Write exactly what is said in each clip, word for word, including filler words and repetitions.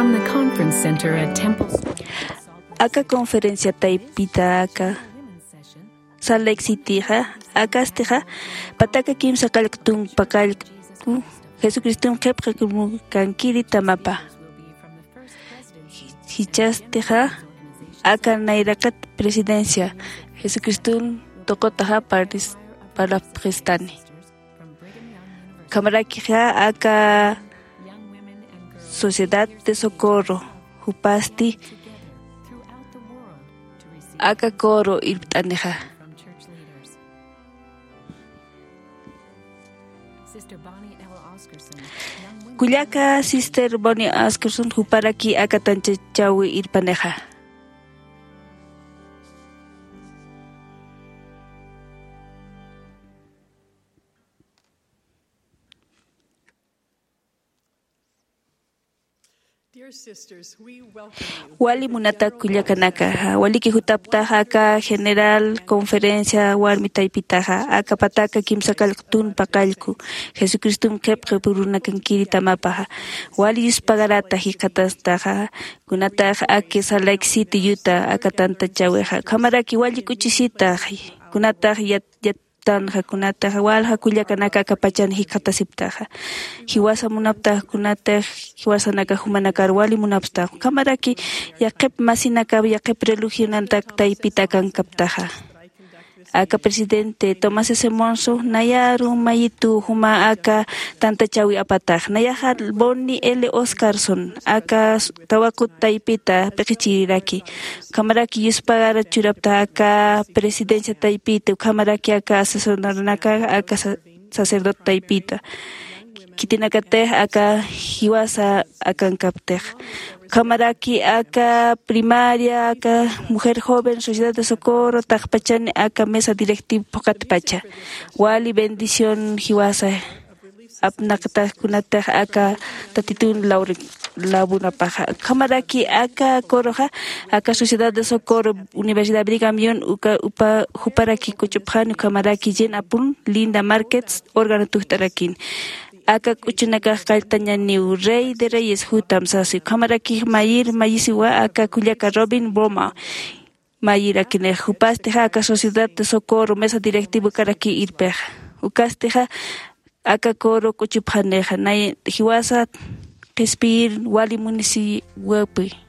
In the conference center at Temple. Aka conferencia taypita aka Salt Lake Cityxa, akastixa pataka kimsa qallq tunka qallqu Jesucriston qhipqamukankiri tamapa. Jichhastixa aka nayraqat presidencia Jesucriston tuqutaxa partis-, parlapxistani. Ukhamarakixa aka Sociedad de Socorro jupasti aka coro irpt'anixa. Kullaka Sister Bonnie Oscarson juparaki aka tantachawi irpanixa. Dear sisters, we welcome you. Wali munata kullakanaka, waliki jutaptaxa aka general conferencia warmi taypitaxa, aka pataka kimsa qallq tunka qallqu Jesucriston qhipqamurunankiri tamapaxa. Wali yuspagarata jikxatastaxa, kunatax aki Salt Lake City Utah aka tantachawixa. Ukhamaraki wali k'uchisitax, kunatax yat-, yat-, tanxa kunatax walja kullakanaka aka pachan jikxatasiptaxa. Jiwasa munaptax kunatax jiwasanaka jumanakar wali munapstax. Ukhamaraki yaqhip masinaka, yaqhip religionantak taypita akankaptaxa. Aka presidente Thomas S. Monson nayaru mayitu juma aka tantachawi apatax. Nayaxa Bonnie L. Oscarson aka s-, tawaqut taypita p'iqichiriraki. Ukhamaraki yuspagara churapta aka presidencia taypita, ukhamaraki aka asesoranaka, aka sa-, sacerdote taypita. Khitinakatix aka jiwasa akankaptix. Ukhamaraki aka primaria, aka mujer joven, Sociedad de Socorro, taqpachani aka mesa directiva phuqatpacha. Wali bendición jiwasa apnaqtax kunatax aka Tatitun lawri-, lawunapaxa. Ukhamaraki aka coroxa, aka Sociedad de Socorro, Universidad Brigham Young, uka, upa, juparaki k'uchupxani, ukhamaraki Jen Apun, Linda Markets, órgano tujt'arakin. Aka k'uchunakax qalltañaniw Rey de Reyes jutam sasi. Ukhamaraki mayir, mayisiwa aka kullaka Robin Boma. Mayirakini, jupastixa aka Sociedad de Socorro mesa directivo karaki irpixa. Ukastixa aka coro k'uchupxanixa, nay jiwasa qhispiyir wali munisiwapi.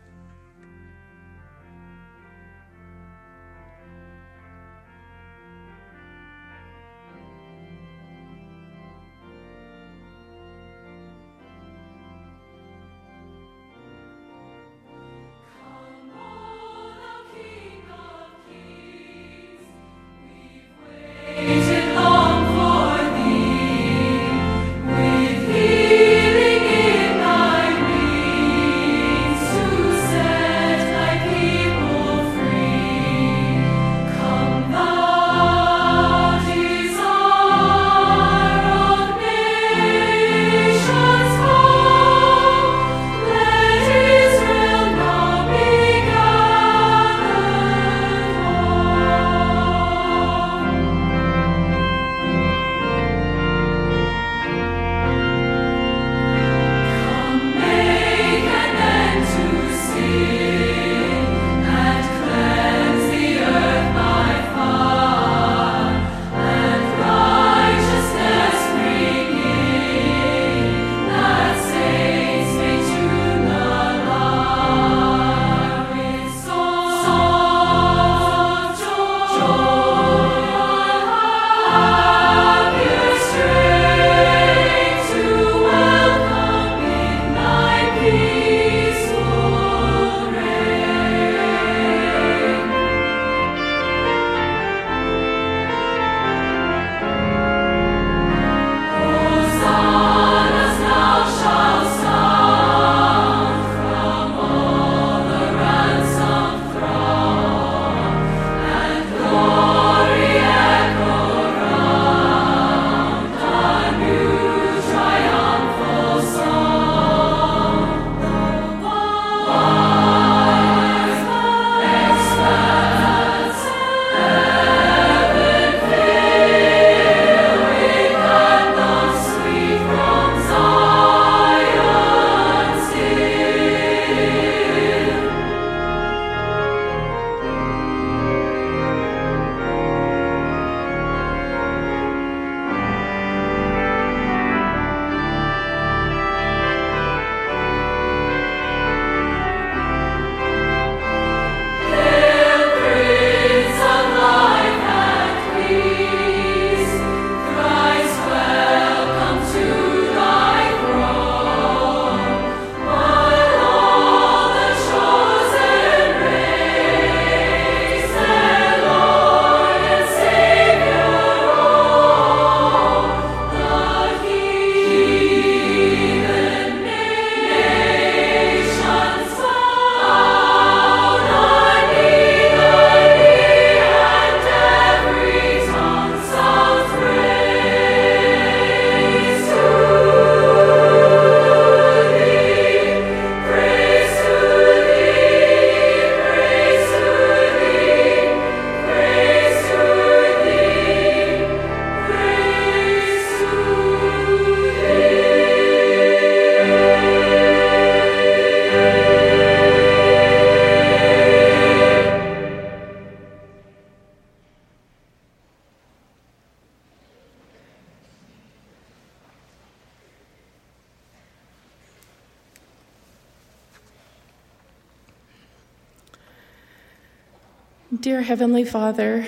Dear Heavenly Father,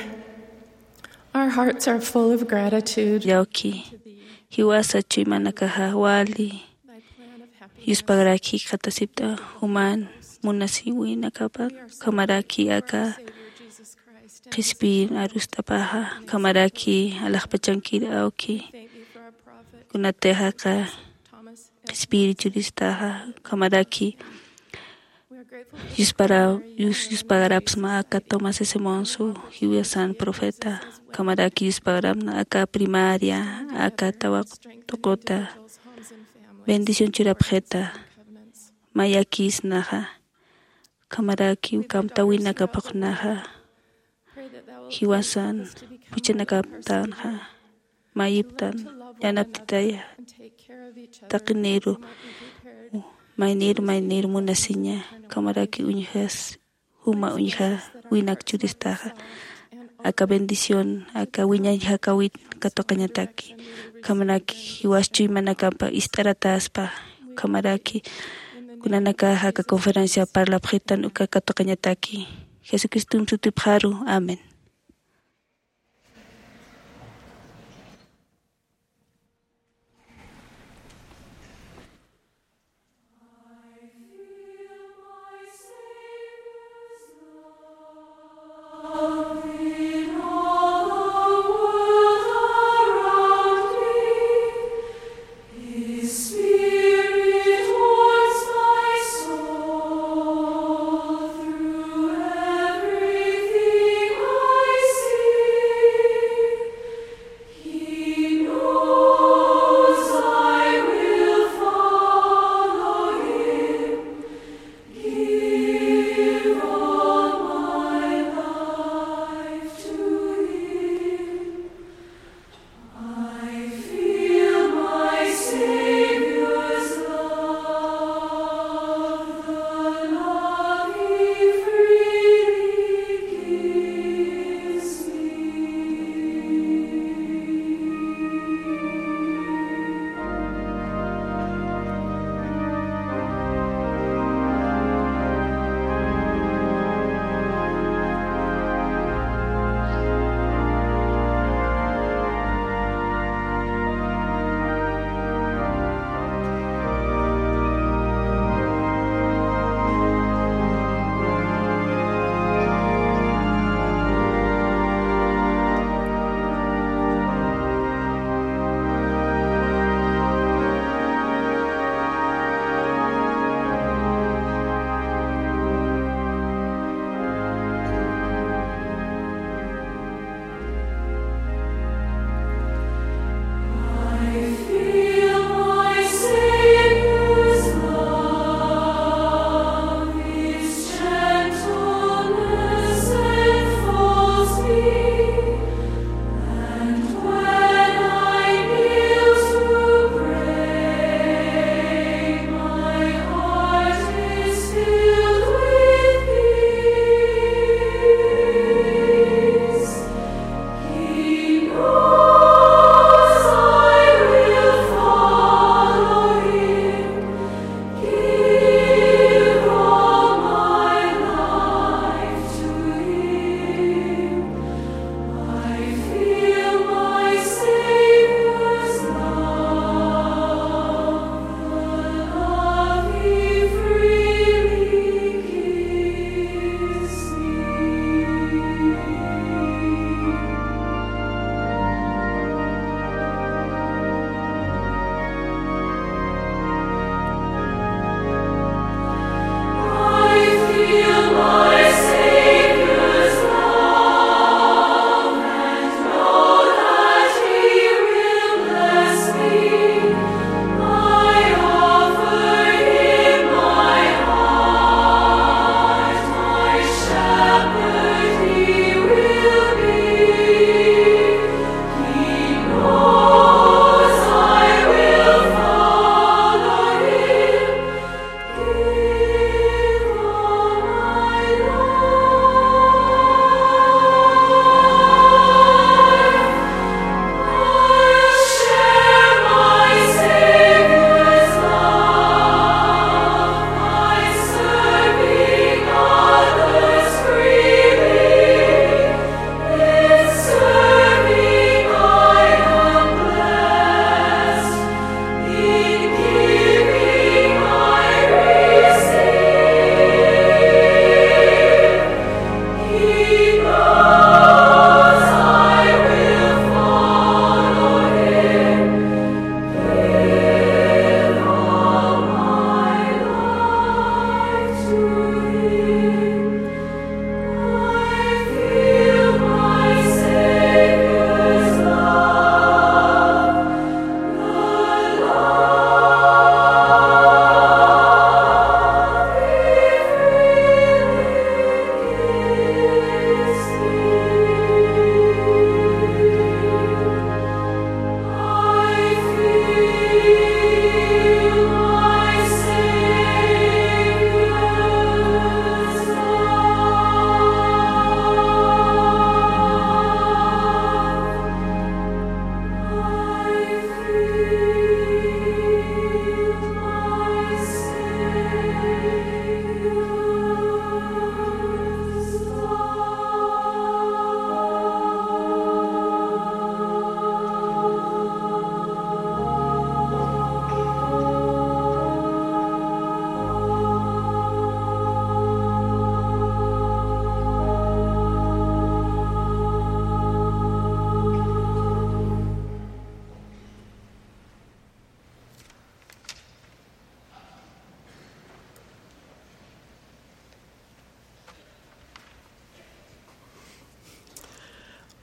our hearts are full of gratitude. Yawki, jiwasa chuymanakaxa wali yuspagaraki jikxatasipta juman munasiwinakapa, ukhamaraki aka qhispiyir arust'apaxa, ukhamaraki alaxpachankir awki, kunatixa aka qhispiyir churistaxa, ukhamaraki yuspara-, yus-, yuspagarapsma aka Thomas S. Monson, jiwasan profeta, ukhamaraki yuspagarapna aka primaria, aka tawaq tuquta, bendición churapxita, mayakisnaxa, ukhamaraki ukham tawinakapxnaxa, jiwasan juchanakaptanxa, mayiptan yanaptitaya, taqiniru, mayniru, mayniru munasiña, ukhamaraki uñjas, juma uñja winak churistaxa, aka bendición, aka wiñañ jakawit katuqañataki, ukhamaraki jiwas chuymanakapa ist'arataspa, ukhamaraki kunanakaxa aka conferencia parlapxitan uka katuqañataki. Jesucristom sutipxaru. Amén.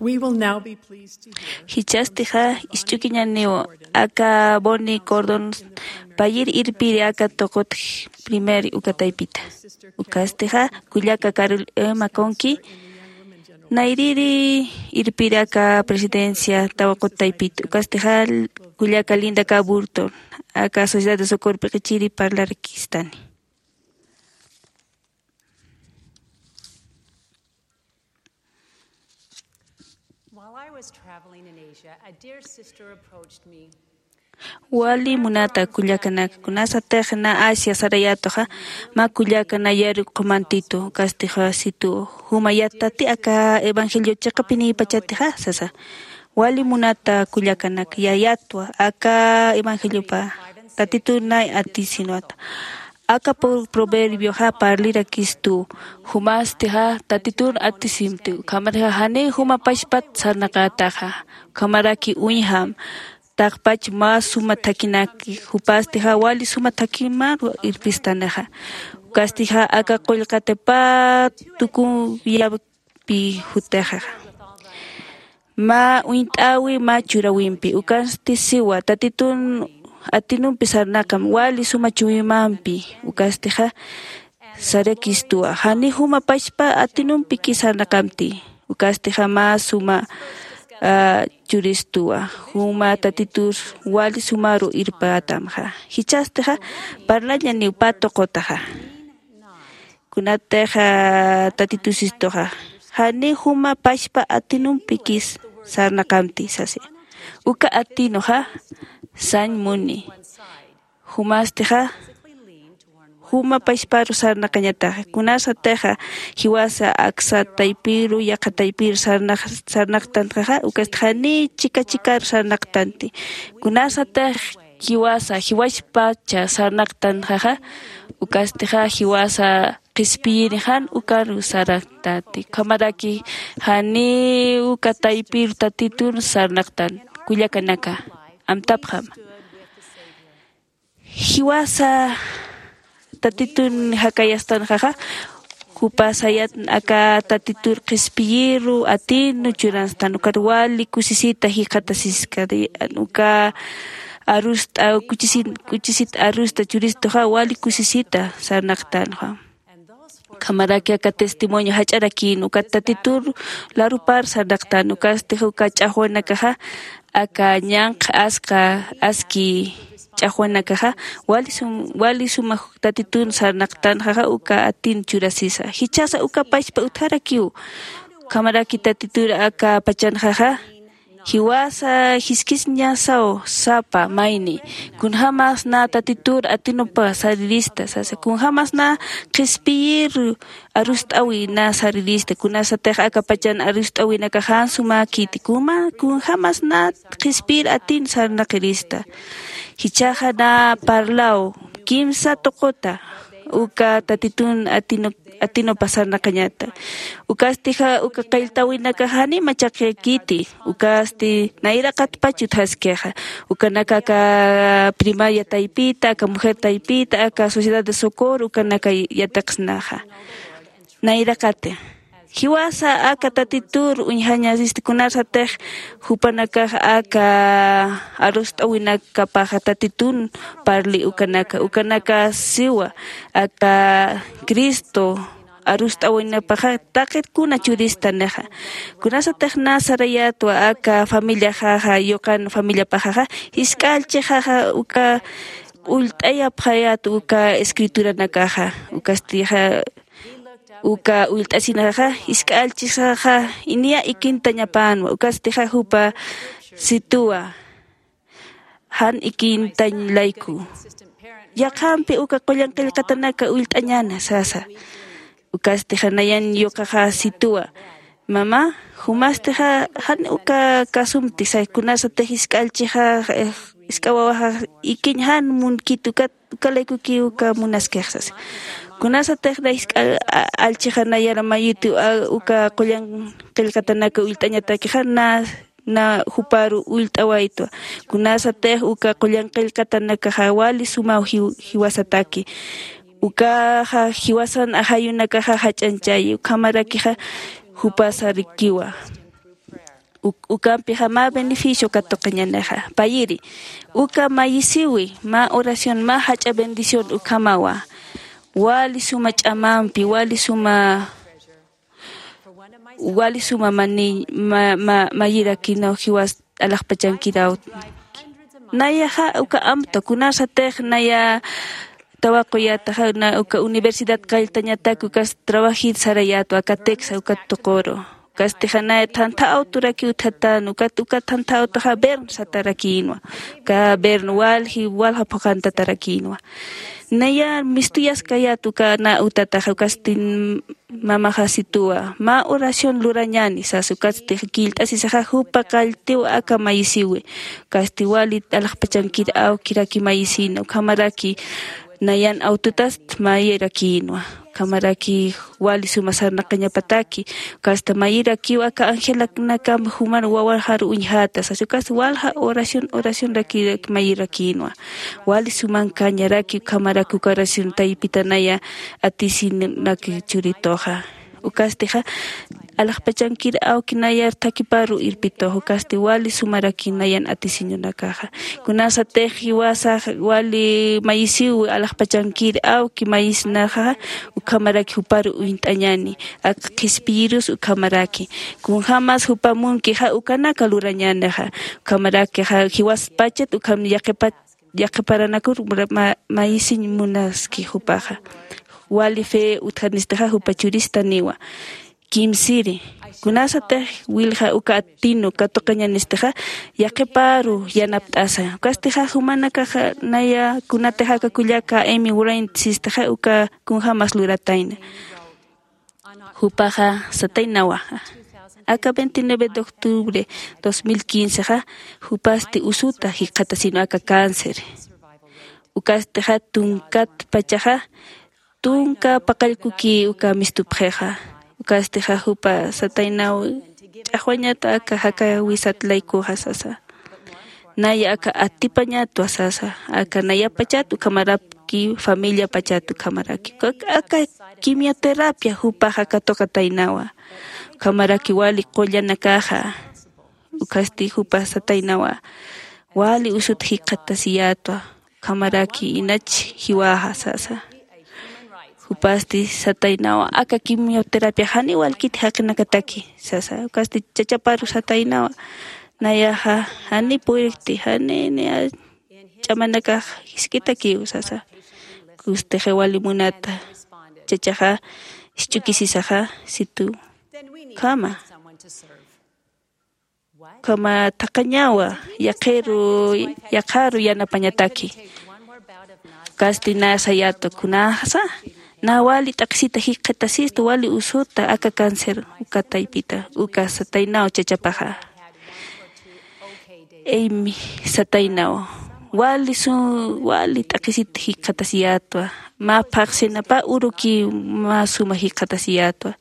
We will now be pleased to hear. Jichhastixa, ist'ukiñaniw aka Bonnie Gordon payir irpiri aka tuqut primer uka taypita. Ukastixa, kullaka Carol Emma Conki, nayriri irpiri aka presidencia tawaqut taypita. Ukastixa, kullaka Linda K. Burton, aka Sociedad de Socorro Piqichiri parlarakistani. While I was traveling in Asia, a dear sister approached me. Wali munata kullakanaka, kunasatix na Asia sarayätuxa, mä kullaka nayaru qhumantitu, ukastixa situ, jumayät tati aka evangelio chiqapinïpachatixa, sasa. Wali munata kullakanaka, yayatwa, aka evangeliopa, Tatitun nay atisinwata. Aka pro-, proverbioxa parlirakistu, jumastixa Tatitun atisimti, ukhamatixa janiw juma pachpat sarnaqätaxa, ukhamaraki uñjam, taqpach mä suma thakhinaki, jupastixa wali suma thakhimaru irpistanixa. Ukastixa aka qullqati pä tukuyapi jutixa. Mä uñt'äwi mä churäwimpi, ukasti siwa, Tatitun atinumpi sarnaqam, wali suma chuwimampi, ukastixa sarakistuwa, jani juma pachpa atinumpiki sarnaqamti, ukastixa mä suma, ah, churistuwa, juma Tatitur wali sumaru irpätamxa. Jichhastixa, parlañaniw pä tuqutaxa. Kunatixa Tatitu sistuxa, jani juma pachpa atinumpikis sarnaqamti sasi. Uka atinuxa, sañ muni. Jumastixa, juma pachparu sarnaqañataxa. Kunasatixa, jiwasa aksa taypiru, yaqha taypiru sarnaq-, sarnaqtanxaxa, ukasti jani chika chikaru sarnaqtanti. Kunasatix jiwasa, jiwaspacha sarnaqtanxaxa, ukastixa jiwasa qhispiyiri jan ukaru sarnaqtanti. Ukhamaraki jani uka taypir Tatitun sarnaqtan, kullakanaka, amtapxam. Jiwasa Tatitun jakayastanxaxa, jupa sayat aka Tatitur qhispiyiru atinu churanstan, ukat wali kusisita jikxatasiskani, uka arust'a, kuchisin-, kuchisit arust'a churistuxa, wali kusisita sarnaqtanxa. Ukhamaraki aka testimonio jach'arakïn, ukat Tatitur larupar sarnaqtan, ukastix uka ch'axwanakaxa, aka ñanqha askha, aski ch'axwanakaxa, wali sum-, wali suma Tatitun sarnaqtanxaxa, uka atin churasisa. Jichhasa uka pachpa utjarakiw. Ukhamaraki Tatitur aka pachanxaxa, jiwasa jiskisiñasaw sapa mayni, kunjämas na Tatitur atinupa sarirista sasa, kunjämas na qhispiyir arust'äwi na sarirista, kunasatix aka pachan arust'äwinakax jan sumäkiti, kunjämas na qhispiyir atin sarnaqirista. Jichhaxa na parlaw kimsa tuquta, uka Tatitun atinu-, atinupa sarnaqañata. Ukastixa uka qilltawinakax janiw machaqikiti, ukasti nayraqatpach utjaskixa. Ukanaka aka primaria taypita, aka mujer taypita, aka Sociedad de Socorro, ukanaka yatiqsnaxa. Nayraqati. Jiwasa aka Tatitur uñjañasista, kunasatix jupanakax aka arust'äwinakapaxa Tatitun parli ukanaka, ukanaka siwa, aka Cristo arust'äwinapaxa taqit kuna churistanixa. Kunasatix na sarayätwa aka familiaxaxa, yuqan familiapaxaxa, jisk'a allchixaxa uka ullt'ayapxayät uka escrituranakaxa, ukastixa uka ullt'asinxaxa, jisk'a allchixaxa, niya ikintañapänwa, ukastixa jupa situwa, jan ikintañ layku. Yaqhampi uka qullan qillqatanaka ullt'añäna sasa. Ukastixa nayan yuqaxa situwa, mamá, jumastixa jan uka kasumti, say, kunasatix jisk'a allchixa, eh, jisk'a wawaxa ikiñ jan munkit ukat uka laykukiw uka munaskix sasa. Kunasatix na jisk'a a-, allchixa nayar mayitiw, a, uka qullan qillqatanaka ullt'añatakixa na, na juparu ullt'awaytwa. Kunasatix uka qullan qillqatanakaxa wali sumaw jiw-, jiwasataki. Ukaxa jiwasan ajayunakaxa jach'añchayi, ukhamarakixa jupasarikiwa. Ukampixa mä beneficio katuqañanixa payiri. Uka mayisiwi mä oración mä jach'a bendición ukhamawa. Wali suma ch'amampi wali suma wali suma mani mayirakinaw jiwas alaxpachankiraw. Nayaxa uka amta kunasatix naya tawaquyataxa uka universidad kalltañatak ukas trabajit sarayatwa aka texa ukat tuquru. Ukastixa naya thantha awturaki utjatan ukat ukat thantha awtaxa bern satarakinwa. Uka bern walji walja phuqantatarakinwa. Naya mistuyaskayat uka na utataxa ukastin mamaxasituwa mä oración lurañani sasa ukatsti killt'asisaxa jupa qalltiw aka mayisiwi. Ukasti wali alaxpachankir awkiraki mayisina ukhamaraki nayan awtutast mayirakïnwa. Ukhamaraki wali suma sarnaqañapataki ukasta mayirakiw aka angelaknakam juman wawaxaru uñjäta sasa ukasta walja oración oracionraki mayirakïnwa. Wali sumankañaraki ukhamaraki uka oración taypitanaya atisinak churituxa. Ukastixa alaxpachankir awki nayar thakiparu irpitux ukasti wali sumaraki nayan atisiñunakaxa. Kunasatix jiwasax wali mayisiw alaxpachankir awki mayisnaxa ukhamaraki juparu uñt'añani ak qhispiyirus ukhamaraki kunjämas jupa munkixa ukanaka lurañänixa. Ukhamarakixa jiwaspachat ukham yaqhipat yaqhiparanakur mayisiñ munaski jupaxa. Wali fe utjanistixa jupa churistaniwa. Kimsiri kunasatix wilja uka atinu katuqañanistixa yaqhiparu yanapt'asa ukastixa jumanakaxa naya kunatixa aka kullaka emi wuraynta sistixa uka kunjämas luratayna. Jupaxa sataynawa aka veintinueve de octubre dos mil quince xa jupasti usuta jikxatasinwa aka cáncer. Ukastixa tunkat pachaxa tunka paqallkuki uka mistupxixa. Ukastixa jupa sataynaw ch'axwañatwa aka jaka wisat laykuxa sasa. Naya aka atipañatwa sasa aka nayapachat ukhamaraki familiapachat ukhamaraki aka quimioterapia jupaxa katuqataynawa. Ukhamaraki wali qullanakaxa ukhasti jupa sataynawa wali usut jikxatasiyätwa. Ukhamaraki inach jiwaxa sasa. Jupasti sataynawa aka quimioterapia jani walkiti jaqinakataki sasa ukasti chachaparu sataynawa. Nayaxa jani puyrikti jani niya ch'amanakax jisk'itakiw sasa. Kustixi wali munata chachaxa jisch'ukisisaxa situ ukhama ukhama thaqhañawa yaqhiru yaqharu yanapañataki. Kasti na sayäta kunasa na wali t'aqhisita jikxatasistu wali usuta aka cáncer uka taypita uka sataynaw chachapaxa. Imi sataynaw wali su wali t'aqhisit jikxatasiyätwa. Mä phaqsinapa uruki mä suma jikxatasiyätwa.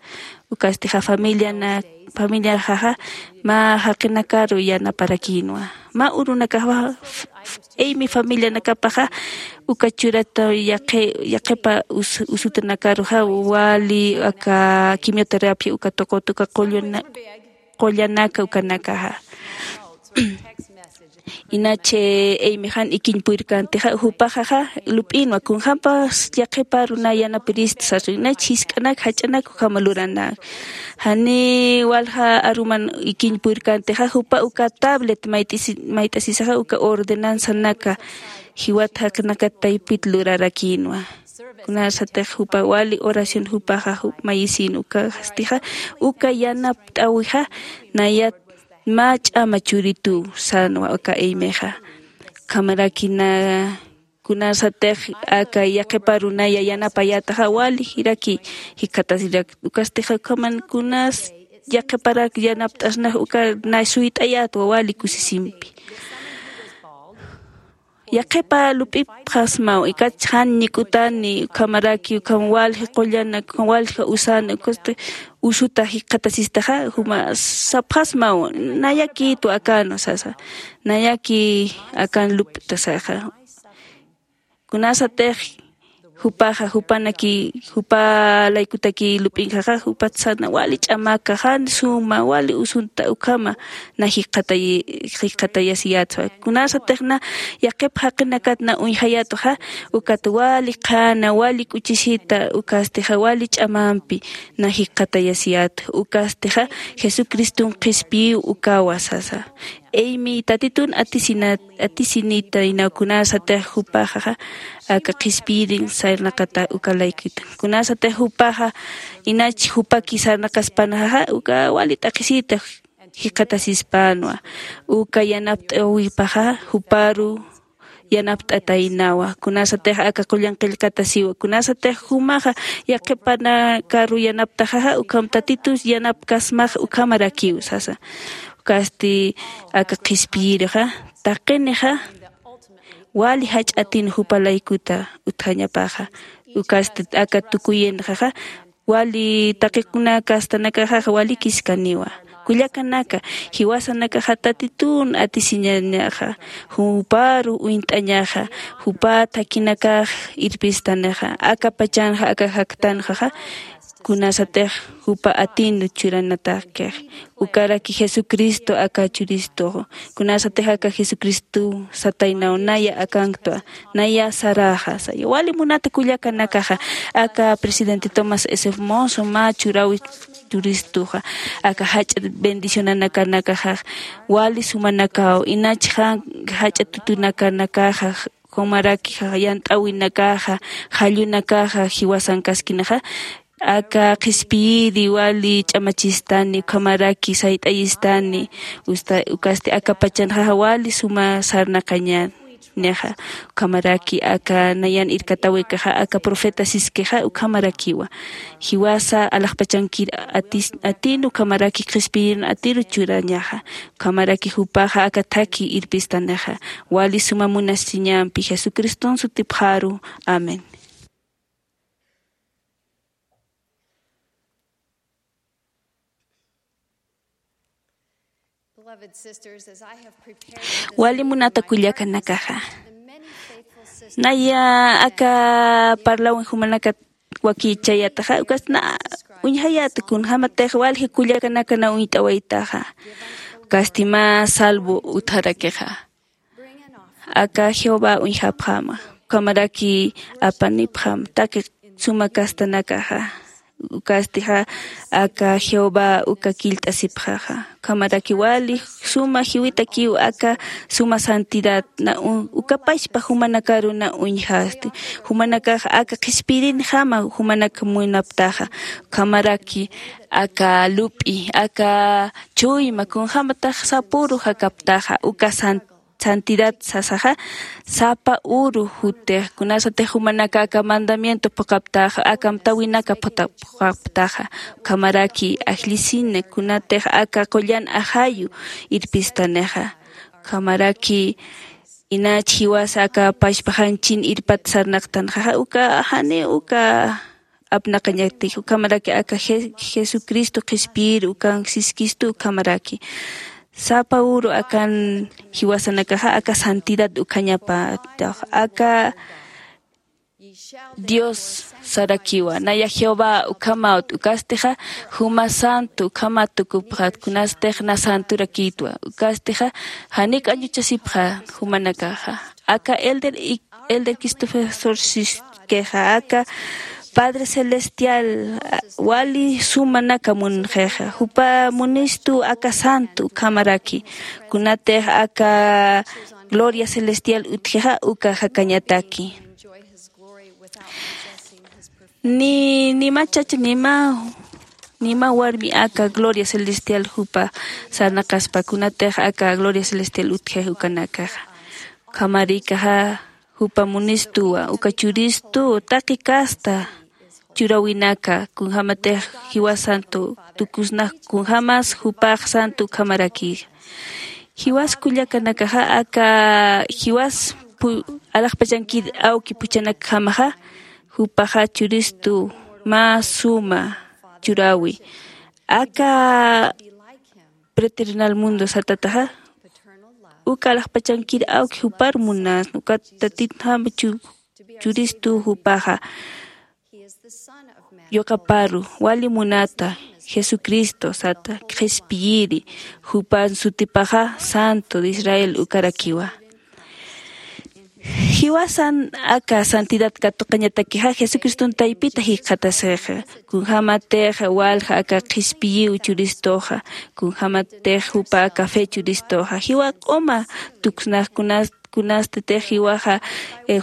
Ukastixa familiana familiaxaxa mä jaqinakaru yanaparakïnwa. Mä urunakaxa imi familianakapaxa uka churata yaqhipa usutanakaruxa wali aka quimioterapia uka tuqut uka qullanaka ukanakaxa. Inach imi jan ikiñ purirkantixa jupaxaxa lup'inwa kunjämpas yaqhiparu na yanapirista sasa inach jisk'anak jach'anak ukhama luranak. Jani walja aruman ikiñ purirkantixa jupa uka tablet mayt'asisaxa uka ordenanzanaka jiwat jaqinakat taypit lurarakïnwa. Kunasatix jupa wali oración jupaxa mayisïn ukastixa uka yanapt'äwixa nayat mä ch'ama churituw sänwa aka imixa. Ukhamaraki na kunasatix aka yaqhiparu naya yanapayätaxa wali jiraki jikxatasirak ukastixa ukhaman kunas yaqhiparak yanapt'asnax uka na suyt'ayätwa wali kusisimpi. Yaqhipa lup'ipxasmaw ikatch jan ñik'utani ukhamaraki ukham walji qullanak ukham walji usani ukasti usuta jikxatasistaxa juma sapxasmaw nayakïtwa akanwa sasa. Nayaki akan lup'tasaxa. Kunasatix Jupaxa jupanaki jupa laykutaki lup'inkaxa jupat sarna wali ch'amaka jan suma wali usunta ukhama na jikxatayasiyatwa. Kunasatixna yaqip jaqinakat na uñjayatuxa ukat wali qhana wali k'uchisita ukastixa wali ch'amampi na jikxatayasiyatu ukastixa jesucriston qhispiyiw ukawa sasa. Eymi tatitun atisinat atisinitaynaw kunasatix jupaxaxa aka qhispiyirin sarnaqata uka laykuta kunasatix jupaxa inach jupaki sarnaqaspanxaxa uka wali t'aqhisita jikxatasispanwa uka yanapt'awipaxa juparu yanapt'ataynawa kunasatix aka qullan qillqatasiwa kunasatix jumaxa yaqhipanakaru yanaptaxaxa ukham tatitus yanapkasmax ukhamarakiw sasa. Ukasti aka qhispiyirixa taqinixa wali jach'atin jupa laykuta utjañapaxa ukasti aka tukuyinxaxa wali taqikuna kastanakaxaxa walikiskaniwa. Kullakanaka jiwasanakaxa tatitun atisiñañaxa juparu uñt'añaxa jupa thakinakax irpistanixa aka pachanxa aka jaktanxaxa kunasatix jupa atinu churanatakkix ukaraki jesucristo aka churistux kunasatix aka jesucristo sataynaw naya akanktwa naya saraxa saya wali munata kullakanakaxa aka presidente tomás s hermoso mä churawi churistuxa aka jach'a bendicionanakanakaxax wali sumanakaw inachxan jach'a tutunakanakaxax jumaraki yant'äwinakaxa jallunakaxa jiwasankaskinaxa aka qhispiyiri wali ch'amachistani ukhamaraki sayt'ayistani ukasti aka pachanxaxa wali suma sarnaqañänixa ukhamaraki aka nayan irkatawikaxa aka profeta siskixa ukhamarakiwa jiwasa alaxpachankir atin ukhamaraki qhispiyirin atiru churañaxa ukhamaraki jupaxa aka thaki irpistanixa wali suma munasiñampi jesucriston sutipxaru. Amén. Wali munata kullakanakaxa naya aka parlawin jumanakat wakichayataxa ukasti na uñjayata kunjämatix walji kullakanaka na uñt'awaytaxa ukasti mä salvo utharakixa aka jehová uñjapxäma ukhamaraki apanipxäma taqi suma castanakaxa ukastixa aka jehová uka killt'asipxaxa ukhamaraki wali suma jiwitakiw aka suma santidad na uka pachpa jumanakaru na uñjasti jumanakax aka qhispirinjama jumanak munaptaxa ukhamaraki aka lup'i aka chuyma kunjämatax sapüru jakaptaxa uka santidad sasaxa sapa uru jutix kunasatix jumanaka aka mandamiento phuqhaptaxa aka amtäwinaka phuqhaptaxa ukhamaraki ajllisina kunatix aka qullan ajayu irpistanixa ukhamaraki inach jiwasa aka pachpaxanchin irpat sarnaqtanxaxa uka jani uka apnaqañatix ukhamaraki aka jesucristo qhispiyir ukan siskistu ukhamaraki sapa uru akan jiwasanakaxa aka santidad ukhañapatax aka dios sarakiwa naya jehová ukhamawt ukastixa juma santo ukhamat tukupxat kunastix na santurakïtwa ukastixa janik añuchasipxa jumanakaxa aka elder elder cristopher sorsiskixa aka padre celestial wali sumanaka munxixa jupa munistu aka santo ukhamaraki kunatix aka gloria celestial utjixa uka jakañataki ni nima chacha nima nima warmi aka gloria celestial jupa sarnaqaspa kunatix aka gloria celestial utjix ukanakaxa ukhamarikaxa jupa munistuwa uka churistu taqi kasta churawinaka kunjämatix jiwas santo tukusnax kunjämas jupax santo ukhamaraki jiwas kullakanakaxa aka jiwas alaxpachankir awki phuchanakjamaxa jupaxa churistu mä suma churawi aka preternal mundo satataxa uka alaxpachankir awki jupar munasna ukat tatitjama chu Churistu jupaxa yuqaparu wali munata jesucristo sata qhispiyiri. Jupan sutipaxa santo de israel ukarakiwa. Jiwasan aka santidad katuqañatakixa jesucriston taypita jikxatasixa. Kunjämatix walja aka qhispiyiw churistuxa, kunjämatix jupa aka fe churistuxa jiwa q'uma tuksnaxkunas kunastitix jiwaxa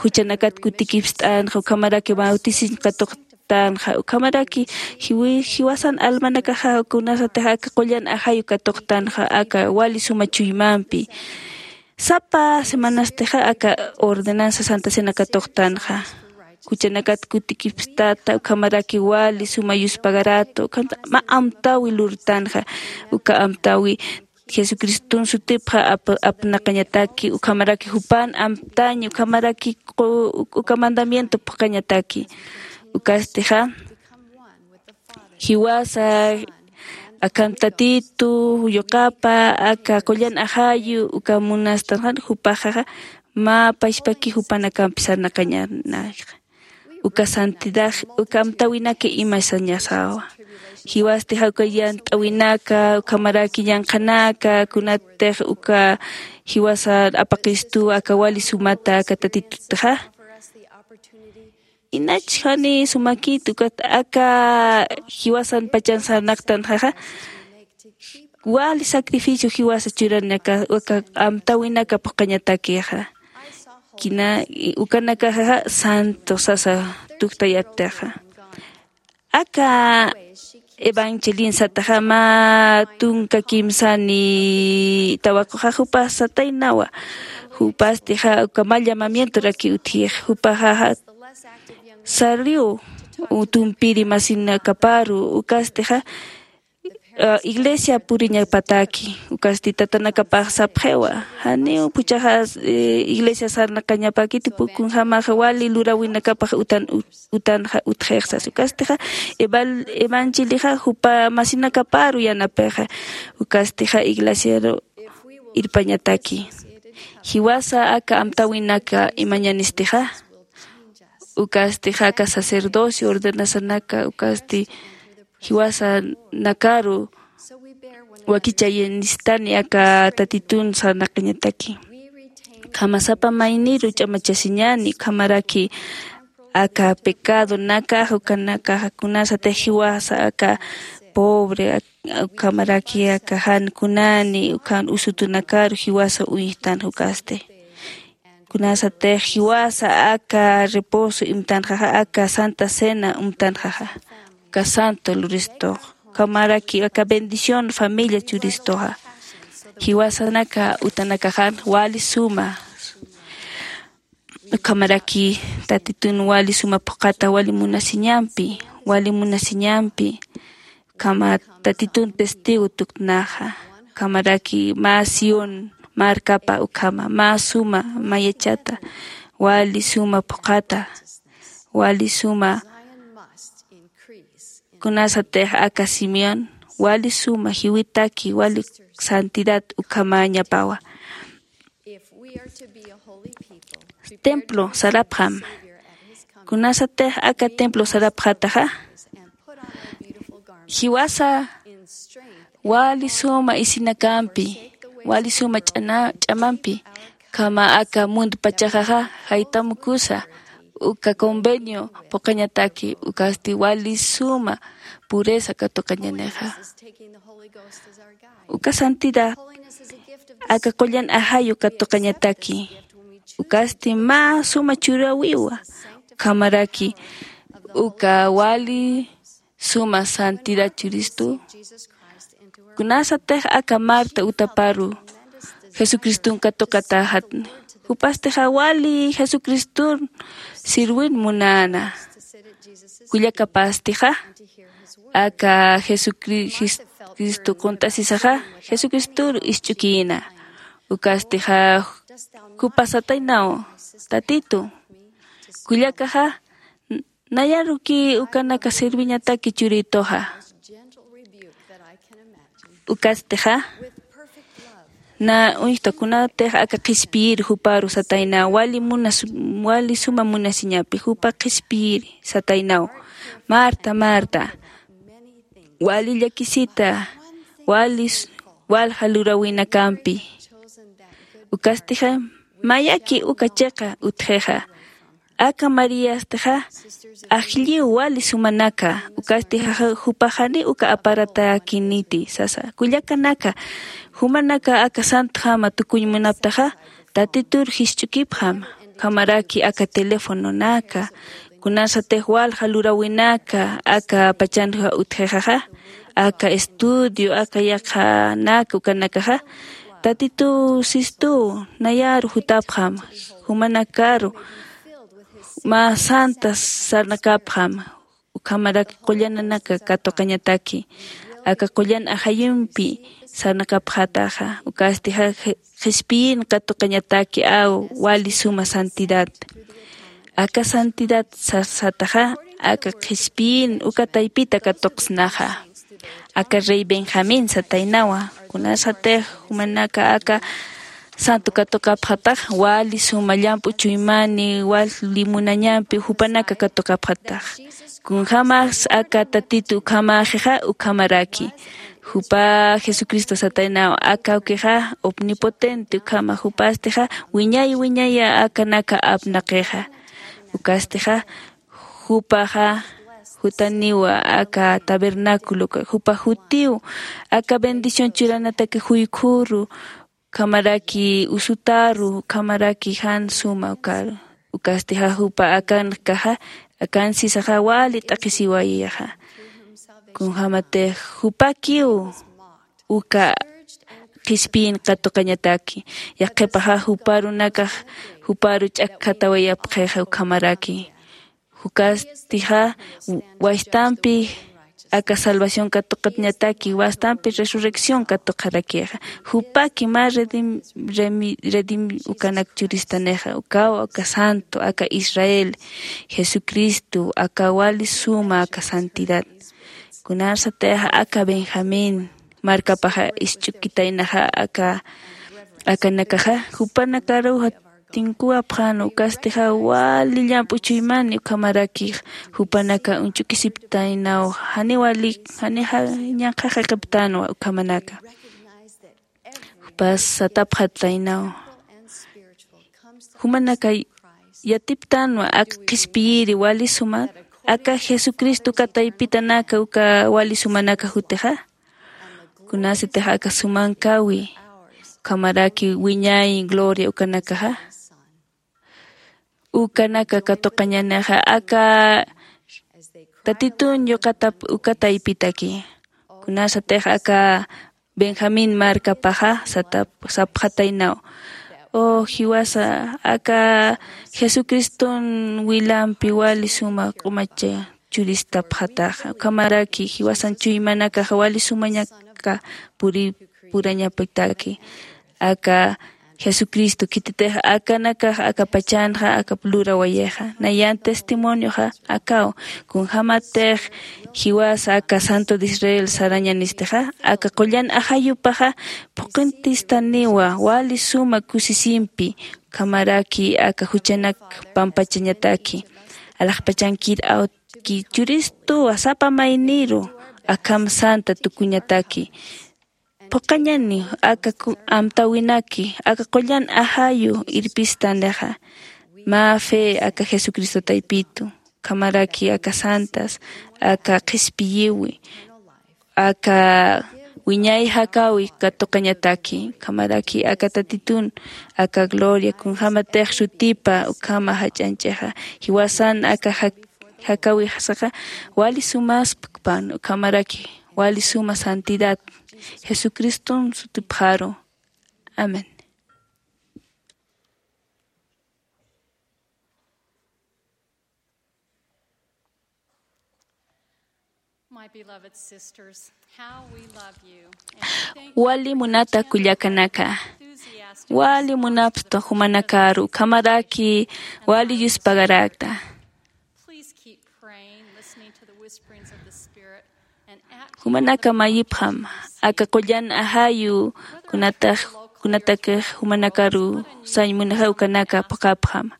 juchanakat kutikipst'anxa ukhamaraki bautisiñ katuqtanxa ukhamaraki jiwasan almanakaxa kunasatix aka qullan ajayu katuqtanxa aka wali suma chuymampi. Sapa semanastixa aka ordenanza santa cena katuqtanxa juchanakat kutikipstata ukhamaraki wali suma yuspagaratu ukhanta mä amtawi lurtanxa. Uka amtawi jesucriston sutipxa apnaqañataki ukhamaraki jupan amtaña ukhamaraki uka mandamiento phuqañataki. Ukastixa jiwasa akham tatitu yuqapa aka qullan ajayu uka munastanxan jupaxaxa mä pachpaki jupanakampi sarnaqañanayxa. Uka santidad uka amtawinaka imasañasawa. Jiwastixa uka yant'awinaka ukhamaraki yanqhanaka kunatix uka jiwasa apaqistu aka wali sumata aka tatitutixa. Inach jani sumakit ukat aka jiwasan pachan sarnaqtanxaxa wali sacrificio jiwasa churanaka uka amtawinaka phuqañatakixa. Kina ukanakaxa santo sasa tuktayaptixa aka evangelin sataxa mä tunka kimsani tawaquxa jupa sataynawa. Jupastixa uka mä llamamientoraki utjix jupaxaxa saliw tumpiri masinakaparu ukastixa iglesia puriñapataki ukasti tatanakapax sapxiwa. Janiw puchaxa iglesia sarnaqañapakiti pukunjamaxa wali lurawinakapax utan utanxa utxixsas ukastixa evangelixax jupa masinakaparu yanapixa ukastixa iglesiaru irpañataki. Jiwasa aka amtawinaka imañanistixa ukastixa aka sacerdocio ordenasanaka ukasti jiwasanakaru wakichayanistani aka tatitun sarnaqañataki. Ukhamasapa mayniru ch'amachasiñani ukhamaraki aka pecadonakax ukanakax kunasatix jiwasa aka pobre ukhamaraki aka jan kunani ukhan usutunakaru jiwasa uyjtan jukasti. Kunasatix jiwasa aka reposo imtanxaxa aka santa cena umtanxaxa uka santo luristux ukhamaraki aka bendición familia churistuxa. Jiwasanaka utanakaxan wali suma ukhamaraki tatitun wali suma phuqhata wali munasiñampi wali munasiñampi ukhama tatitun testigo tuktnaxa. Ukhamaraki mä sión markapa ukhama mä suma mayachata wali suma phuqhata wali suma kunasatix aka simeón wali suma jiwitaki wali santidad ukhamañapawa. Templo sarapxam. Kunasatix aka templo sarapxataxa jiwasa wali suma isinakampi wali suma ch'amampi ukhama aka mundo pachaxaxa jaytamukusa uka convenio phuqhañataki ukasti wali suma pureza katuqañanixa. Uka santidad aka qullan ajayu katuqañataki ukasti mä suma churäwiwa. Ukhamaraki uka wali suma santidad churistu kunasatix aka marta utaparu jesucriston katuqatäxatni. Jupastixa wali jesucriston sirwin munäna. Kullakapastixa aka jesucristo qunt'asisaxa jesucristoru isch'ukïna. Ukastixa jupasataynaw tatitu kullakaxa nayaruki ukanaka sirviñataki churituxa. Ukastixa Na uñjta kunatix aka qhispiyiri juparu sataynaw wali munas wali suma munasiñapi jupa qhispiyiri sataynaw. Marta, Marta, wali llakisita wali s- walja lurawinakampi. Ukastixa mayaki uka chiqa utjixa. Aka Mariastixa ajlliw wali sumanaka. Ukasti jaja jupaxani uka aparatäkiniti sasa. Kullakanaka, jumanaka aka santjama tukuñ munaptaxa, Tatitur jisch'ukipxam. Ukhamaraki aka telefononaka, kunasatix walja lurawinaka aka pachanxa utjixaxa, aka estudio, aka yaqhanaka ukanakaxa, Tatitu Sistuw nayaru jutapxam. Jumanakaru mä santa sarnakapxam. Ukhamaraki qullananaka katuqañataki aka qullan ajayumpi sarnakapxataxa. Ukasti qhispiyin katuqañataki aw wali suma santidad. Aka santidad sasataxa aka qhispiyin uka taypita katuqsnaxa. Aka rey Benjamín sataynawa, kunasatix jumanaka aka santo katuqapxatax wali suma llamp'u chuymani wali munañampi jupanaka katuqapxatax. Kunjämas aka Tatitu ukhamäxixa ukhamaraki. Jupa Jesucristo sataynaw aka awkixa omnipotente ukhama jupastixa wiñay wiñaya akanaka apnaqixa. Ukastixa jupaxa jutaniwa aka tabernáculo jupa jutiw aka bendición churanataki juykhuru, ukhamaraki usutaru, ukhamaraki jan suma ukaru. Ukastixa jupa akankaxa akansisaxa wali t'aqhisiwayixa. Kunjämatix jupakiw uka qhispiyin katuqañataki. Yaqhipaxa juparunakax juparu ch'akkhatawayapxixa ukhamaraki. Ukastixa wastampi aka salvación katuqañataki wastampi resurrección katuqarakixa. Jupaki mä redim redim ukanak churistanixa ukaw aka santo aka Israel, Jesucristo aka wali suma aka santidad. Kunasatix aka Benjamín markapaxa isch'ukitaynaxa aka akanakaxa jupanakaruxa tinkuwapxan ukastixa wali llamp'u chuymani ukhamaraki jupanaka uñch'ukisiptaynaw jani wali jani ñanqhaxaqiptanwa ukhamanaka. Jupas satapxataynaw jumanaka yatiptanwa aka qhispiyiri wali suma aka jesucristo uka taypitanaka uka wali sumanaka jutixa. Kunasitix aka sumankawi ukhamaraki wiñay gloria ukanakaxa ukanaka katuqañanixa aka tatitun yuqatap uka taypitaki. Kunasatix aka benjamín markapaxa sapxataynaw, o jiwasa aka jesucriston wilampi wali suma q'umacha churistapxataxa ukhamaraki jiwasan chuymanakaxa wali sumañaka puri purañapitaki. Aka jesucristo khititix akanakax akapachanxa aka lurawayixa nayan testimonioxa akaw. Kunjämatix jiwasa aka santo de israel sarañanistixa aka qullan ajayupaxa phuqhintistaniwa wali suma kusisimpi ukhamaraki aka juchanak pampachañataki alaxpachankir awtki churistuwa sapa mayniru akham santa tukuñataki. Phuqhañani aka amtäwinaki aka qullan ajayu irpistanixa mä fe aka jesucristo taypitu ukhamaraki aka santas aka qhispiyiwi aka wiñay jakäwi katuqañataki ukhamaraki aka tatitun aka gloria kunjämatix sutipa ukhama jach'añch'ixa jiwasan aka jakäwixsaxa wali sumaspkpan ukhamaraki wali suma santidad jesucriston sutipxaru. Amén. Wali munata kullakanaka, wali munapstu jumanakaru ukhamaraki wali yuspagarakta. Jumanaka mayipxam aka qullan ajayu kunatax kunatakix jumanakaru sañ munixa ukanaka phuqhapxama.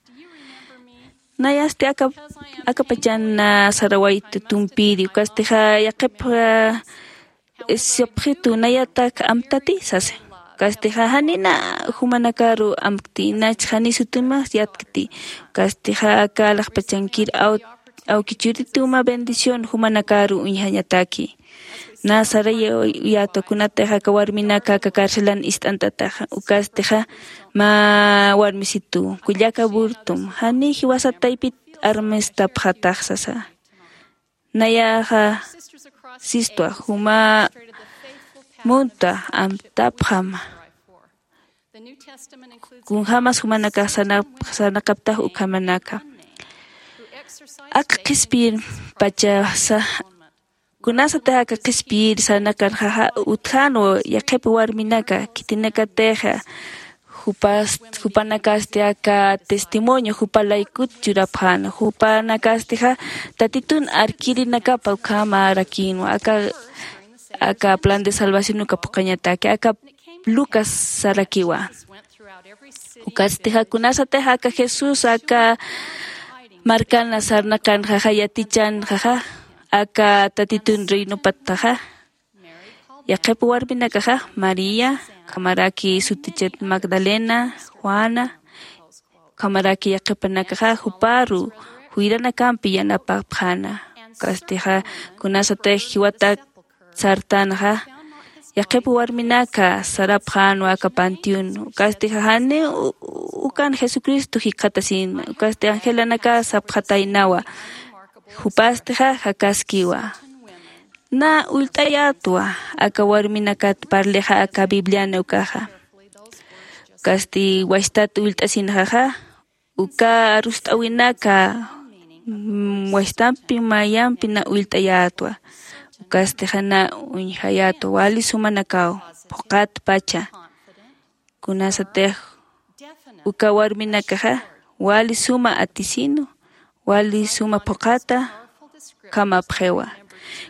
Nayasti aka aka pachan sarawayta tumpiri ukastixa yaqhip sapxitu nayatak amtati sasa. Ukastixa janina jumanakaru amkti inach jani sutimax yatkti. Ukastixa aka alaxpachankir awki churituma bendición jumanakaru uñjañataki. Na saray uyatwa kunatix aka warminaka aka carcelan ist'antataxa ukastixa mä warmisitu kullaka burtum jani jiwasat taypit armistapxatax sasa. Nayaxa sistwa juma muntwa amtapxama. Kunjämas jumanakax sarnaqaptax ukhamanaka. Aka qhispiyir pachasa kunasatix aka qhispiyir sarnaqanxaxa utjänwa yaqhip warminaka khitinakatixa jupanakasti aka testimonio jupalaykut churapxäna jupanakastixa tatitun arkirinakapa ukhamärakïnwa aka aka plan de salvación uka phuqhañataki aka lucas sarakiwa. Ukatstixa kunasatix aka jesús aka markana sarnaqanxaxa yatichanxaxa aka tatitun reinopatxaxa yaqhip warminakaxa maría ukhamaraki sutichat magdalena juana ukhamaraki yaqhipanakaxa juparu juyranakampi yanapapxäna. Ukatstixa kunasatix jiwatak sartanxa yaqhip warminaka sarapxänwa aka panteón. Ukatstixa janiw ukan jesucristo jikxatasïnma ukatsti angelanaka sapxataynawa. Jupastixa jakaskiwa. Na ullt'ayätwa aka warminakat parlixa aka bibliana ukaxa. Ukasti wachtat ullt'asinxaxa uka arust'äwinaka wachtampi mayampi na ullt'ayätwa. Ukasti jana uñjayätwa wali sumanakaw phuqhatpacha. Kunasatix uka warminakaxa wali suma atisinu wali suma phuqhata ukhamapxiwa.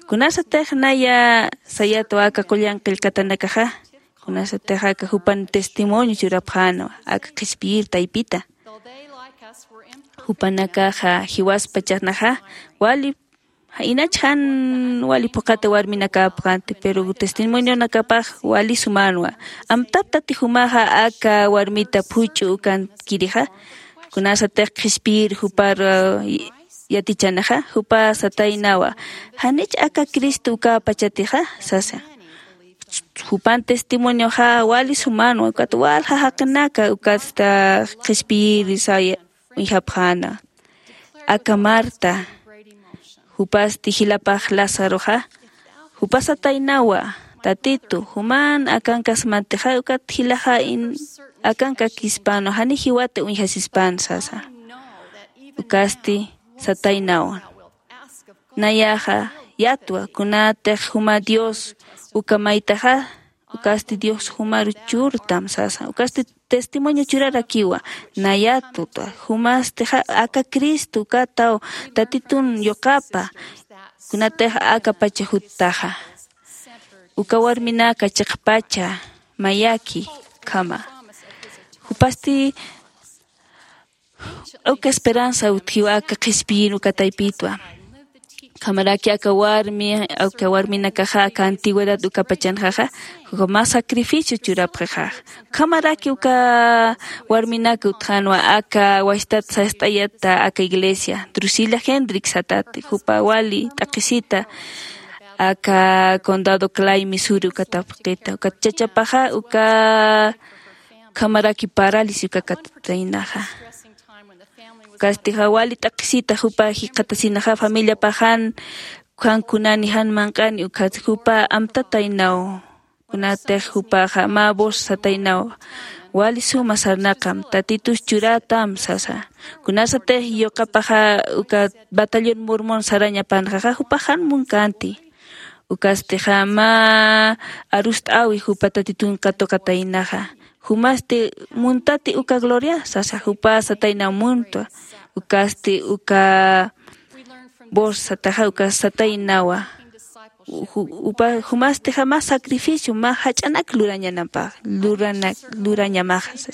Kunasatix naya sayätwa aka qullan qillqatanakaxa kunasatix aka jupan testimonio churapxänwa aka qhispiyir taypita. Jupanakaxa jiwaspachanaxa wali inach jan wali phuqhata warminakäpxänti pero testimonionakapax wali sumänwa. Amtaptati jumaxa aka warmita phuch'u ukankirixa kunasatix qhispiyir jupar yatichanaxa jupa sataynawa janich aka cristo ukäpachatixa sasa. Jupan testimonioxa wali sumänwa ukat walja jaqinaka ukatsta qhispiyir saya uñjapxäna. Aka marta jupasti jilapax lazaroxa jupa sataynawa tatitu juman akankasmatixa ukat jilaxa akankakispanwa jani jiwata uñjasispän sasa. Ukasti sataynawa nayaxa yatwa kunatix juma dios uka maytaxa ukasti dios jumaru churtam sasa ukasti testimonio churarakiwa. Nayatwa jumastixa aka cristo ukataw tatitun yuqapa kunatix akapacha juttaxa uka warminaka chiqpacha mayaki ukhama. Jupasti uka esperanza utjiwa aka qhispiyir uka taypitwa. Ukhamaraki aka warmi aka warminakaxa aka antigüedad ukapachanxaxa uka mä sacrificio churapxixax. Ukhamaraki uka warminaka utjänwa aka wachtat sast'ayata aka iglesia drusila hendrix satati jupa wali t'aqhisita aka condado clay misuri uka tapqita ukat chachapaxa uka ukhamaraki parálisis uka katataynaxa. Ukatstixa wali t'aqhisita jupa jikxatasinaxa familiapaxan jan kunani jan manq'ani ukatsti jupa amtataynaw. Kunatix jupaxa mä voz sataynaw wali suma sarnaqam tatitus churätam sasa. Kunasatix yuqapaxa uka batallón mormón sarañapanxaxa jupax jan munkänti. Ukastixa mä arust'äwi jupa tatitun katuqataynaxa jumasti muntati uka gloria sasa jupa sataynaw muntwa. Ukasti uka voz sataxa uka sataynawa Ju- upa jumastixa mä sacrificio mä jach'anak lurañanapa lurana lurañamaxa.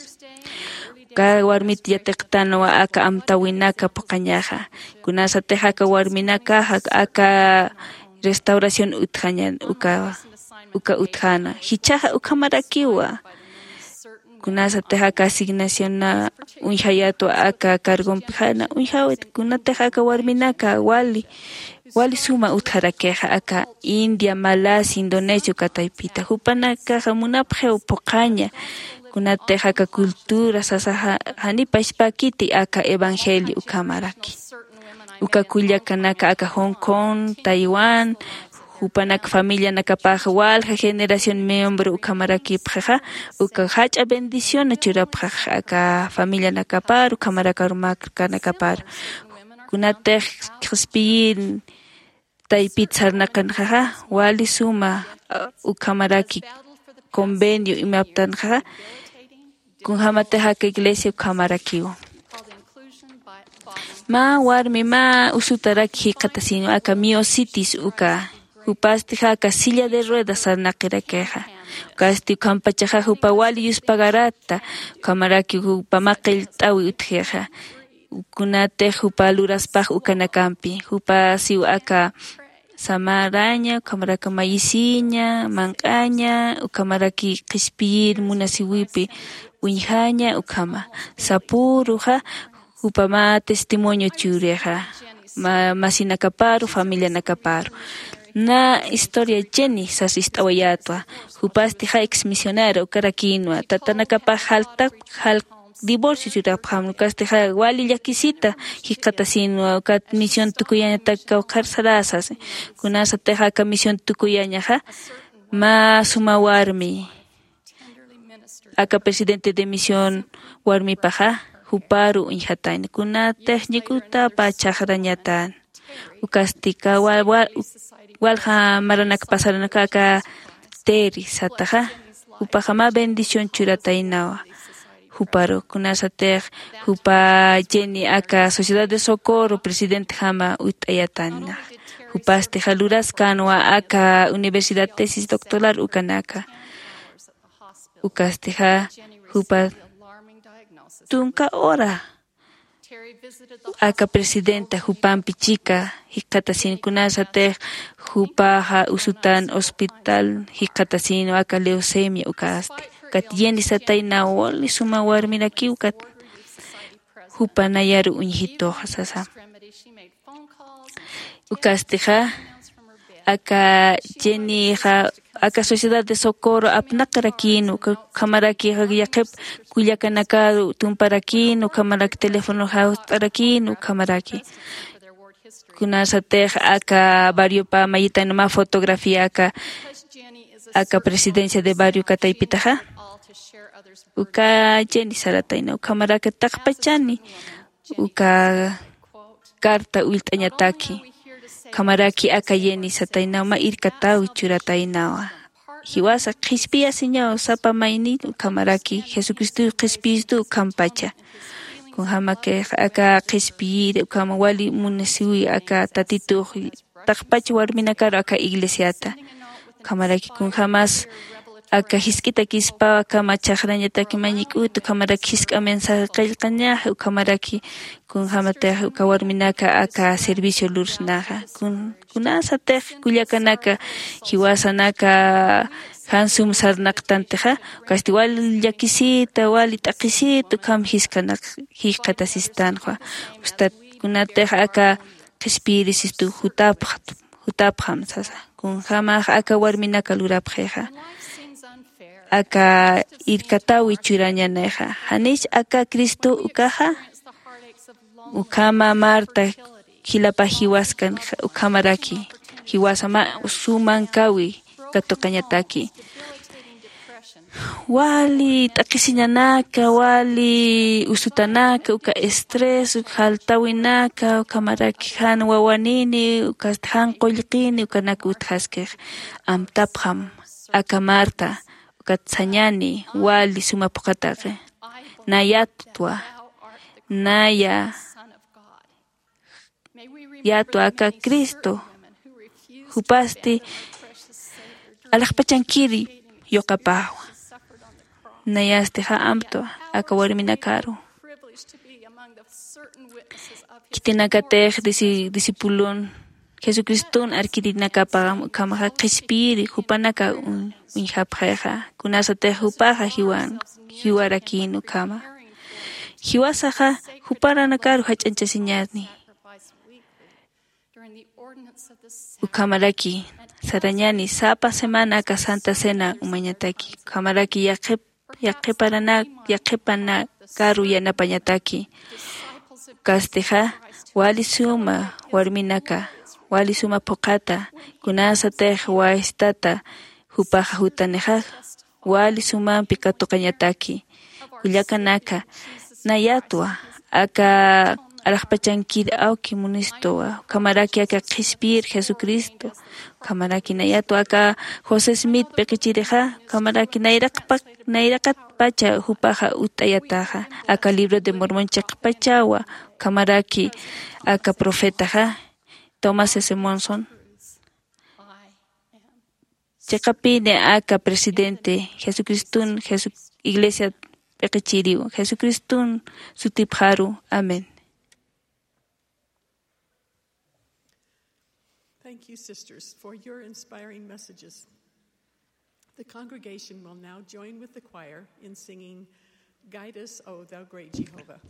Uka warmit yatiqtanwa aka amtawinaka phuqhañaxa. Kunasatix aka warminakaxa aka restauración utjañan uka uka utjana jichhaxa ukhamarakiwa. Kunasatix aka asignacionna uñjayatwa aka cargompixana uñjawit kunatix aka warminaka wali wali suma utjarakixa aka india malasia indonesia uka taypita jupanakaxa munapxiw phuqhaña. Kunatix aka cultura sasa janiw pachpäkiti aka evangelio ukhamaraki. Uka kullakanaka aka hong kong taiwán jupanak familianakapax walja generación miembro ukhamarakipxixa uka jach'a bendición churapxax aka familianakapar ukhamarakar markanakapar. Kunatix qhispiyir taypit sarnaqanxaxa wali suma ukhamaraki convenio imaptanxaxa kunjämatix aka iglesia ukhamarakiw. Mä warmi mä usutaraki jikxatasinwa aka miocitis uka. Jupasti jaka silla de ruedas sarnaqirakixa. Ukasti ukhampachaxa jupa wali yuspagaratta ukhamaraki jupa mä qillt'awi utjixa. Kunatix jupa luraspax ukanakampi jupa siw aka samaraña ukhamaraki mayisiña manq'aña ukhamaraki qhispiyir munasiwipi uñjaña ukhama. Sapüruxa jupa mä testimonio churixa masinakaparu familianakaparu. Na historia jenny sas ist'awayätwa. Jupasti ja ex misionera ukarakïnwa tatanakapax jaltap jalk divorcio churapxam ukasti ja wali llakisita jikxatasinwa ukat misión tukuyañatak kawkharsaräsas. Kunasatix aka misión tukuyañaxa mä suma warmi aka presidente de misión warmipaxa juparu uñjatayna kunatix ñik'utapa chhaqrañatan. Ukastika walja maranak pasaranaka aka teri sataxa jupaxa mä bendición churataynawa. Juparu kunasatix jupa jenny aka sociedad de socorro presidentejama utt'ayatayna. Jupastixa luraskänwa aka universidad tesis doctoral ukanaka. Ukastixa jupa tunka hora aka presidenta jupampi chika jikxatasin kunasatix jupaxa usutan hospital jikxatasin aka leucemia ukasti. Ukat yeni satayna wali suma warmiraki ukat jupa nayaru uñjituxa sasa. Ukastixa aka jennyxa aka sociedad de socorro apnaqarakïn ukhamaraki yaqhip kullakanakaru tumparakïn ukhamaraki teléfono jawst'arakïn ukhamaraki. Kunasatix aka barriopa mayitan mä fotografía aka aka presidencia de barrio kataypitaxa uka jenny saratayna ukhamaraki taqpachani uka carta ullt'añataki. Ukhamaraki aka jenny sataynaw mä irkatäwi churataynawa. Jiwasa qhispiyasiñaw sapa maynin ukhamaraki jesucristow qhispiyistu ukhampacha. Kunjämakix aka qhispiyiri ukhama wali munasiwi aka tatitux taqpach warminakaru aka iglesiata. Ukhamaraki kunjämas aka jisk'itakispaw akhama chhaqrañataki mañik'utu ukhamaraki jisk'a mensaje qillqañaxa ukhamaraki kunjämatix uka warminaka aka servicio lursnaxa. Kunasatix kullakanaka jiwasanaka jan sum sarnaqtantixa ukasti wali llakisita wali t'aqhisita ukham jisk'anak jikxatasistanxa. Ustat kunatix aka qhispiyirisistu jutapxam sasa. Kunjämax aka warminaka lurapxixa aka irkatäwi churañanixa janich aka cristo ukaxa. Ukhama marta jilapax jiwaskan ukhamaraki jiwasa mä sumankawi katuqañataki. Wali t'aqhisiñanaka wali usutanaka uka estrés uka jaltawinaka ukhamaraki jan wawanini ukasti jan qullqini ukanaka utjaskix. Amtapxam aka marta ukat sañani wali suma phuqhataki. Nayatwa naya yatwa aka cristo. Jupasti alaxpachankiri yuqapawa. Nayastixa amtwa aka warminakaru. Khitinakatix disi- discipulon jesucriston arkirinakapaxam ukhamaxa qhispiyiri jupanaka uñ- uñjapxixa kunasatix jupaxa jiwan jiwarakïn ukhama. Jiwasaxa juparanakaru jach'añchasiñäni. Ukhamaraki sarañäni sapa semana aka santa cena umañataki ukhamaraki yaqhip yaqhiparanak yaqhipanakaru yanapañataki. Ukastixa wali suma warminaka wali suma phuqhata kunasatix waystata jupaxa jutanixa wali sumampi katuqañataki. Kullakanaka nayatwa aka alaxpachankir awki munistuwa ukhamaraki aka qhispiyir jesucristo ukhamaraki nayatwa aka josé smith p'iqichirixa ukhamaraki nayraqpa nayraqatpacha jupaxa utt'ayataxa aka libro de mormon chiqpachawa ukhamaraki aka profetaxa tomás s monson. Chiqapini aka presidente jesucriston jesu- iglesia p'iqichiriw jesucriston sutipxaru. Amén. Thank you, sisters, for your inspiring messages. The congregation will now join with the choir in singing Guide Us, O Thou Great Jehovah.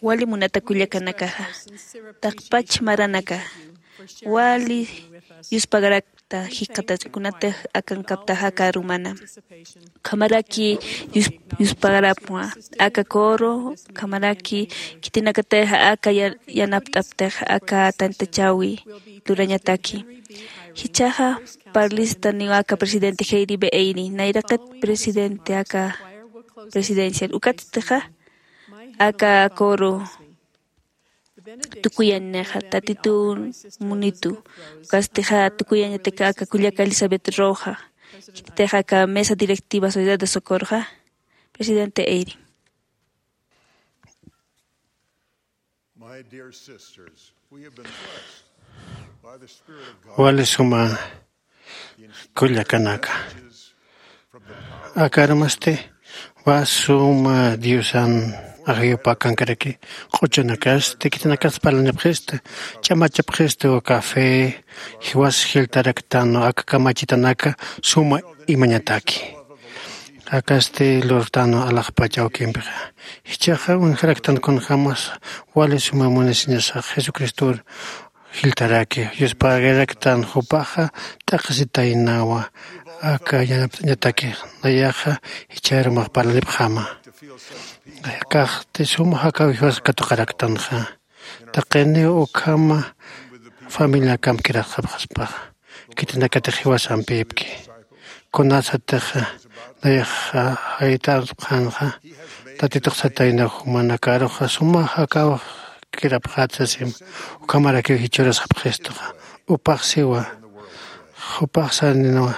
Wali munata kullakanakaxa, taqpach maranaka wali yuspagarakta jikxatach kunatix akankaptaxa aka arumana. Ukhamaraki yus- yuspagarapwa aka coro, ukhamaraki khitinakatix aka ya- yanapt'aptix aka tantachäwi lurañataki. Jichhaxa parlistaniw aka presidente jeyribe eyri nayraqat presidente aka presidencial. Ukatstixa aka coro tukuyañnixa tatitun munitu. Ukatstixa tukuyañatika aka kullaka Elizabeth Roja, khititixa aka mesa directiva Sociedad de Socorroxa, presidente Eyring. My dear sisters, we have been blessed by the Spirit of God. Wali suma kullakanaka, akarmasti wa suma Diosan ajayupakankaraki. Q'uchunakasti khitinakas parlanipxista, ch'amachapxista uka fe jiwas jiltaraktan aka kamachitanaka suma imañataki. Akasti lurtan alaxpach awkimpixa, jichhaxa uñjaraktan kunjämas wali suma munasiñasax Jesucristor jiltaraki. Yuspagiraktan jupaxa t'aqhisitaynawa aka yanapt'añataki. Nayaxa jichharumax parlanipxäma. Akaxti suma jakaw jiwas katuqaraktanxa, taqiniw ukhama familiakamp kirasxapxaspaxa, khitinakatix jiwasampïpki. Kunasatix nayaxa jayt'apxänxa, tatitux sataynaw jumanakaruxa suma jakaw kirapxät sasim, ukhamarakiw jichhürasxapxistuxa. Upax siwa, jupax saninwa,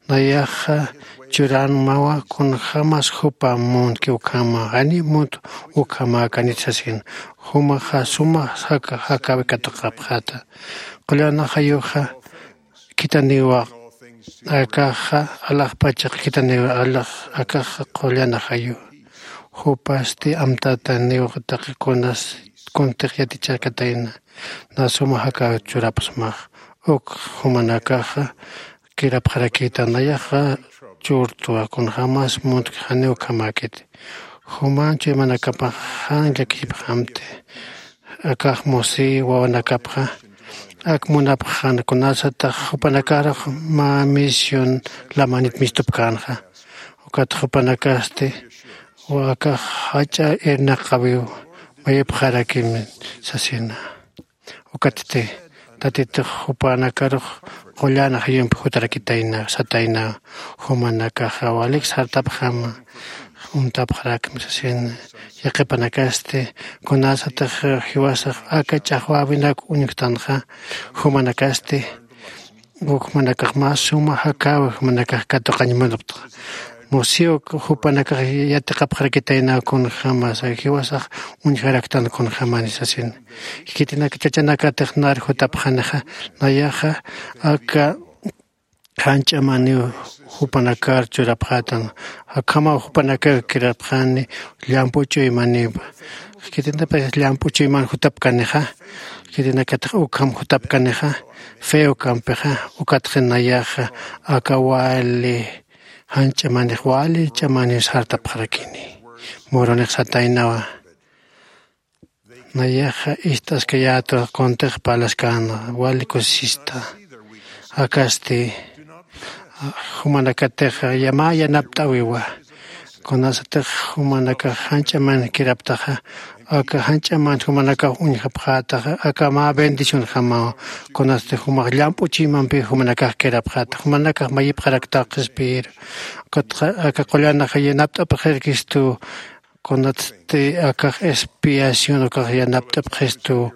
nayaxa churanmawa kunjämas jupa muntki ukhama, janiw munt ukhamäkanit sasin. Jumaxa suma jaka jakawi katuqapxäta. Qullan ajayuxa khitaniwa, akaxa alaxpach khitaniwa alax, akaxa qullan ajayu. Jupasti amtataniw taqi kunas kuntix yatichakatayna, na suma jakaw churapxsmax. Uk jumanakaxa kirapxarakïta, nayaxa churtwa kunjämas muntki janiw ukhamäkiti. Juman chuymanakapax jan llakipxamti. Akax musi wawanakapxa ak munapxän kunasatax jupanakarux mä misión lamanit mistupkänxa. Ukat jupanakasti akax jach'a irnaqawiw mayipxarakim sasina. Ukatsti tatitux jupanakarux qullan ajayumpi jutarakitayna satayna. Jumanakaxa walik sartapxama, uñtapxarakmi sasina. Yaqhipanakasti kunasatix jiwasax aka ch'axwäwinak uñjtanxa, jumanakasti ukhamanakax mä suma jakäwi jumanakax katuqañ munapxta. Musiw jupanakax yatiqapxarakitayna kunjämas jiwasax uñjaraktan kunjämani sasin. Khitinaka chachanakatix nar jutapxanixa, nayaxa aka jan ch'amaniw jupanakar churapxätan. Akhamaw jupanakaw kirapxani llamp'u chuymaniw. Khitinakapax llamp'u chuyman jutapkanixa, khitinakatix ukham jutapkanixa, fe ukampixa. Ukatxa nayaxa aka wali jan ch'amanix wali ch'amaniw sartapxarakini. Murunix sataynawa, nayaxa ist'askayätwa kuntix parlaskäna, wali kusisista. Akasti jumanakatix mä yanapt'äwiwa. Kunasatix jumanakax jan ch'aman kiraptaxa, aka jan ch'aman jumanakax uñjapxätaxa, aka mä bendicionjamaw. Kunasti jumax llamp'u chuymampiw jumanakax kirapxäta, jumanakax mayipxaraktaw qhispiyiru. Ukatxa aka qullan ajayu yanapt'apxarakistu, kunatsti akax expiación ukax yanapt'apxistu,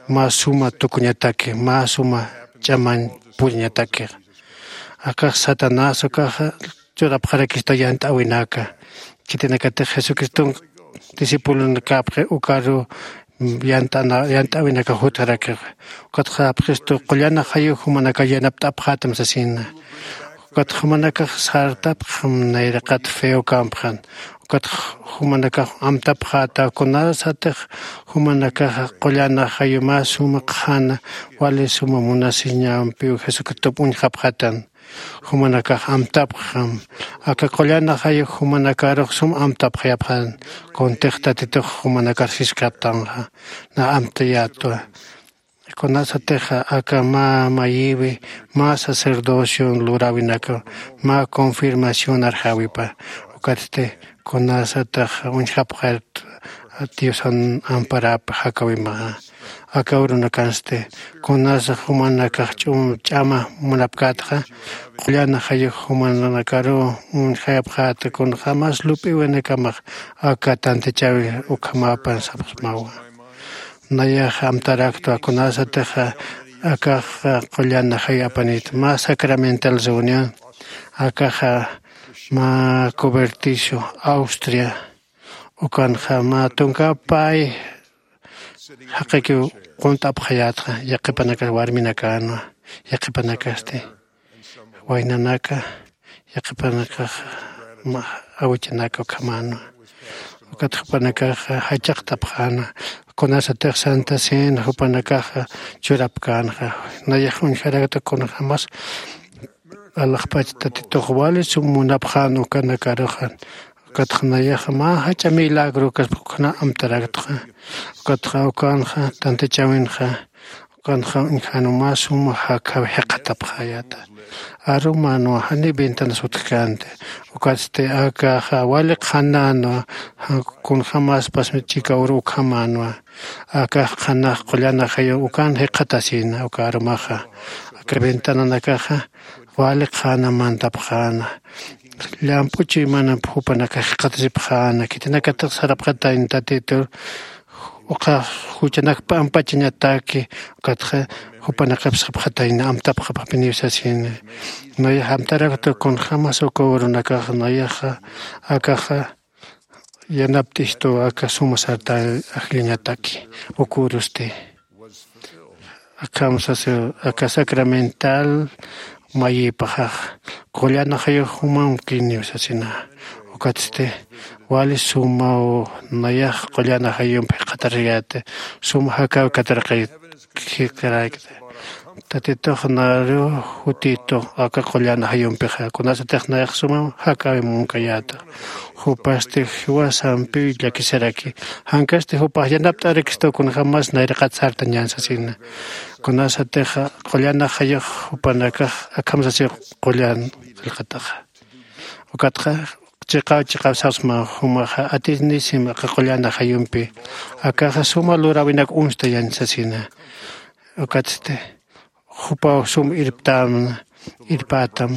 mä suma tukuñataki, mä suma ch'aman puriñataki. Akax Satanás ukaxa churapxarakistu yant'äwinaka. Khitinakatix Jesucriston discipulonakapxi ukaru yant'ana yant'äwinakax jutxarakix. Ukatxa sapxistu qullan ajayu jumanakaw yanapt'apxätam sasina. Ukat jumanakax sartapxam nayraqat fe ukampxan. Ukat jumanakax amtapxäta kunasatix jumanakax qullan ajayu mä suma qhana wali suma munasiñampiw Jesucristop uñjapxätan. Jumanakax amtapxam. Aka qullan ajayu jumanakarux sum amtapxayapxän. Kuntix Tatitux jumanakar siskaptanxa, na amtayätwa. Kunasatixa aka mä mayiwi mä sacerdocio luräwinaka, mä confirmación arxäwipa. Ukatsti kunasatix uñjapxät Diosan amparäp jakäwimaxa. Aka urunakansti kunasa jumanakax ch'um ch'ama munapkätxa, qullan ajayux jumanakaruw uñjayapxäta kunxa mas lup'iwinakamax aka tantichäwi ukhamapan sapxsmawa. Nayax amtaraktwa kunasatixa akax qullan ajayu apanït mä sacramental reunión akaxa mä coberticio austria ukanxa mä tunka pay jaqikiw qunt'apxayätxa yaqipanakas warminakänwa yaqhipanakasti waynanaka yaqhipanakax awichanaka ukhamänwa. Ukat jupanakaxa jachaqtapxänwa kunasatix santa cena jupanakaxa churapkänxa. Nayax uñjarakta kunjämas alaxpach tatitux wali sum munapxän ukanakaruxa. Ukatxa nayaxa mä jach'a milagro kaspa ukhana amtaraktxa. Ukatxa ukanxa tantichäwinxa ukanxa uñjänwa mä suma jakhaw jiqatapxäyäta. Arumänwa janiw ventanas utjkänti. Ukatsti akaxa wali qhanänwa kunjämaspas chika uru ukhamänwa. Akax qhanax qullan ajayu ukan jiqatasïna uka arumaxa aka ventananakaxa wali qhana mantapxäna. Llamp'u chuymanamp jupanakax jiqatasipxäna khitinakatix sarapxatayna tatitur uka juchanak pampachañataki. Ukatxa jupanakapsxapxatayna amtapxapxapiniw sasini. Nayax amtarakta kunjämas uka urunakaxa nayaxa akaxa yanapt'istu aka suma sarta ajllañataki. Uk urusti akham sasiw aka sacramental mayïpaxax qullan ajayux jumamkiniw sasina. Ukatsti wali sumaw nayax qullan ajayump jiqatariyäti suma jakäw katarqayt jikaraykta. Tatitux naru jutitux aka qullan ajayumpixa kunasatix nayax sumam jakäw munkayäta. Jupasti jiwasampiw llakisaraki jankasti jupax yanapt'arakistu kunjämas nayraqat sartañän sasina. Kunasatix qullan ajayux jupanakax akham sasiw qullan qillqataxa. Ukatxa chiqaw chiqaw sapsma jumaxa atisnisim aka qullan ajayumpi akaxa suma luräwinak uñstayañ sasina. Ukatsti jupaw sum irptämna irpätam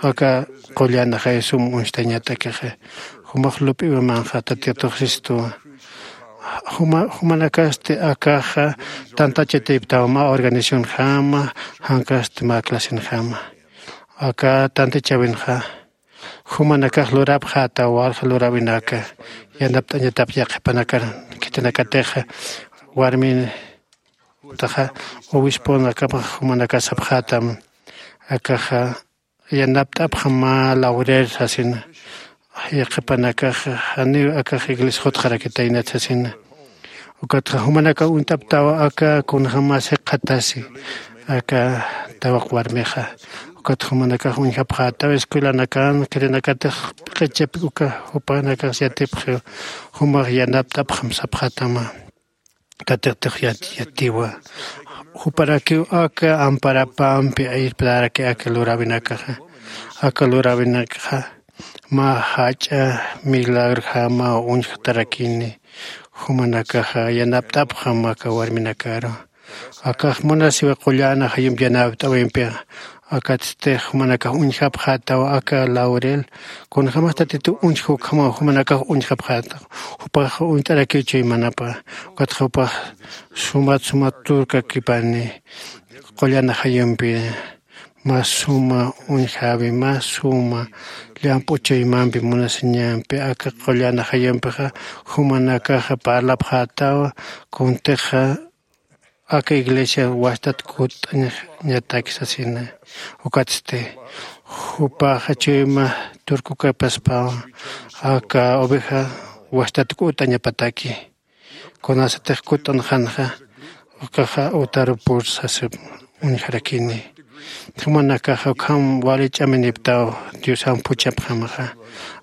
aka qullan ajayu sum uñstañatakixa. Jumax lup'iwimanxa tatitux sistuwa. Jumanakasti akaxa tantachatiptaw mä organizacionjama jankasti mä clasenjama. Aka tantachäwinxa jumanakax lurapxätaw walja luräwinaka yanapt'añatap yaqhipanakar khitinakatixa warmintaxa obisponakamax jumanakax sapxätam. Akaxa yanapt'apxam mä laurel sasina. Yaqhipanakax janiw akax iglesia jutxarakitaynat sasina. Ukatxa jumanakax uñt'aptawa aka kunjämas jiqatasi aka tawaq warmixa. Ukatxa jumanakax uñjapxätaw escuelanakan khitinakatix p'iqichip uka jupanakax yatipxiw jumax yanapt'apxam sapxätama. Tatitix yatiwa juparakiw aka amparapampi irptaraki aka luräwinakaxa. Aka luräwinakaxa mä jach'a milagrojamaw uñjtarakini. Jumanakaxa yanapt'apxam aka warminakaru. Akax munasiwa qullan ajayump yanapt'äwimpixa. Akatsti jumanakax uñjapxätaw aka laurel kunjämas tatituw uñjki ukhamaw jumanakax uñjapxätaw. Jupax uñt'arakiw chuymanapa. Ukatxa jupax sumat sumat turkakipani qullan ajayumpi. Mä suma uñjäwi mä suma llamp'u chuymampi munasiñampi aka qullan ajayumpixa jumanakaxa parlapxätawa. Kuntixa aka iglesia wastat kutt'añataki sasina. Ukatsti jupaxa chuyma turkukapaspawa aka oveja wastat kutt'añapataki. Kunasatix kutt'anxanxa ukaxa utaru pur sasip uñjarakini. Jumanakaxa ukham wali ch'aminiptaw diosamp juchapxamaxa.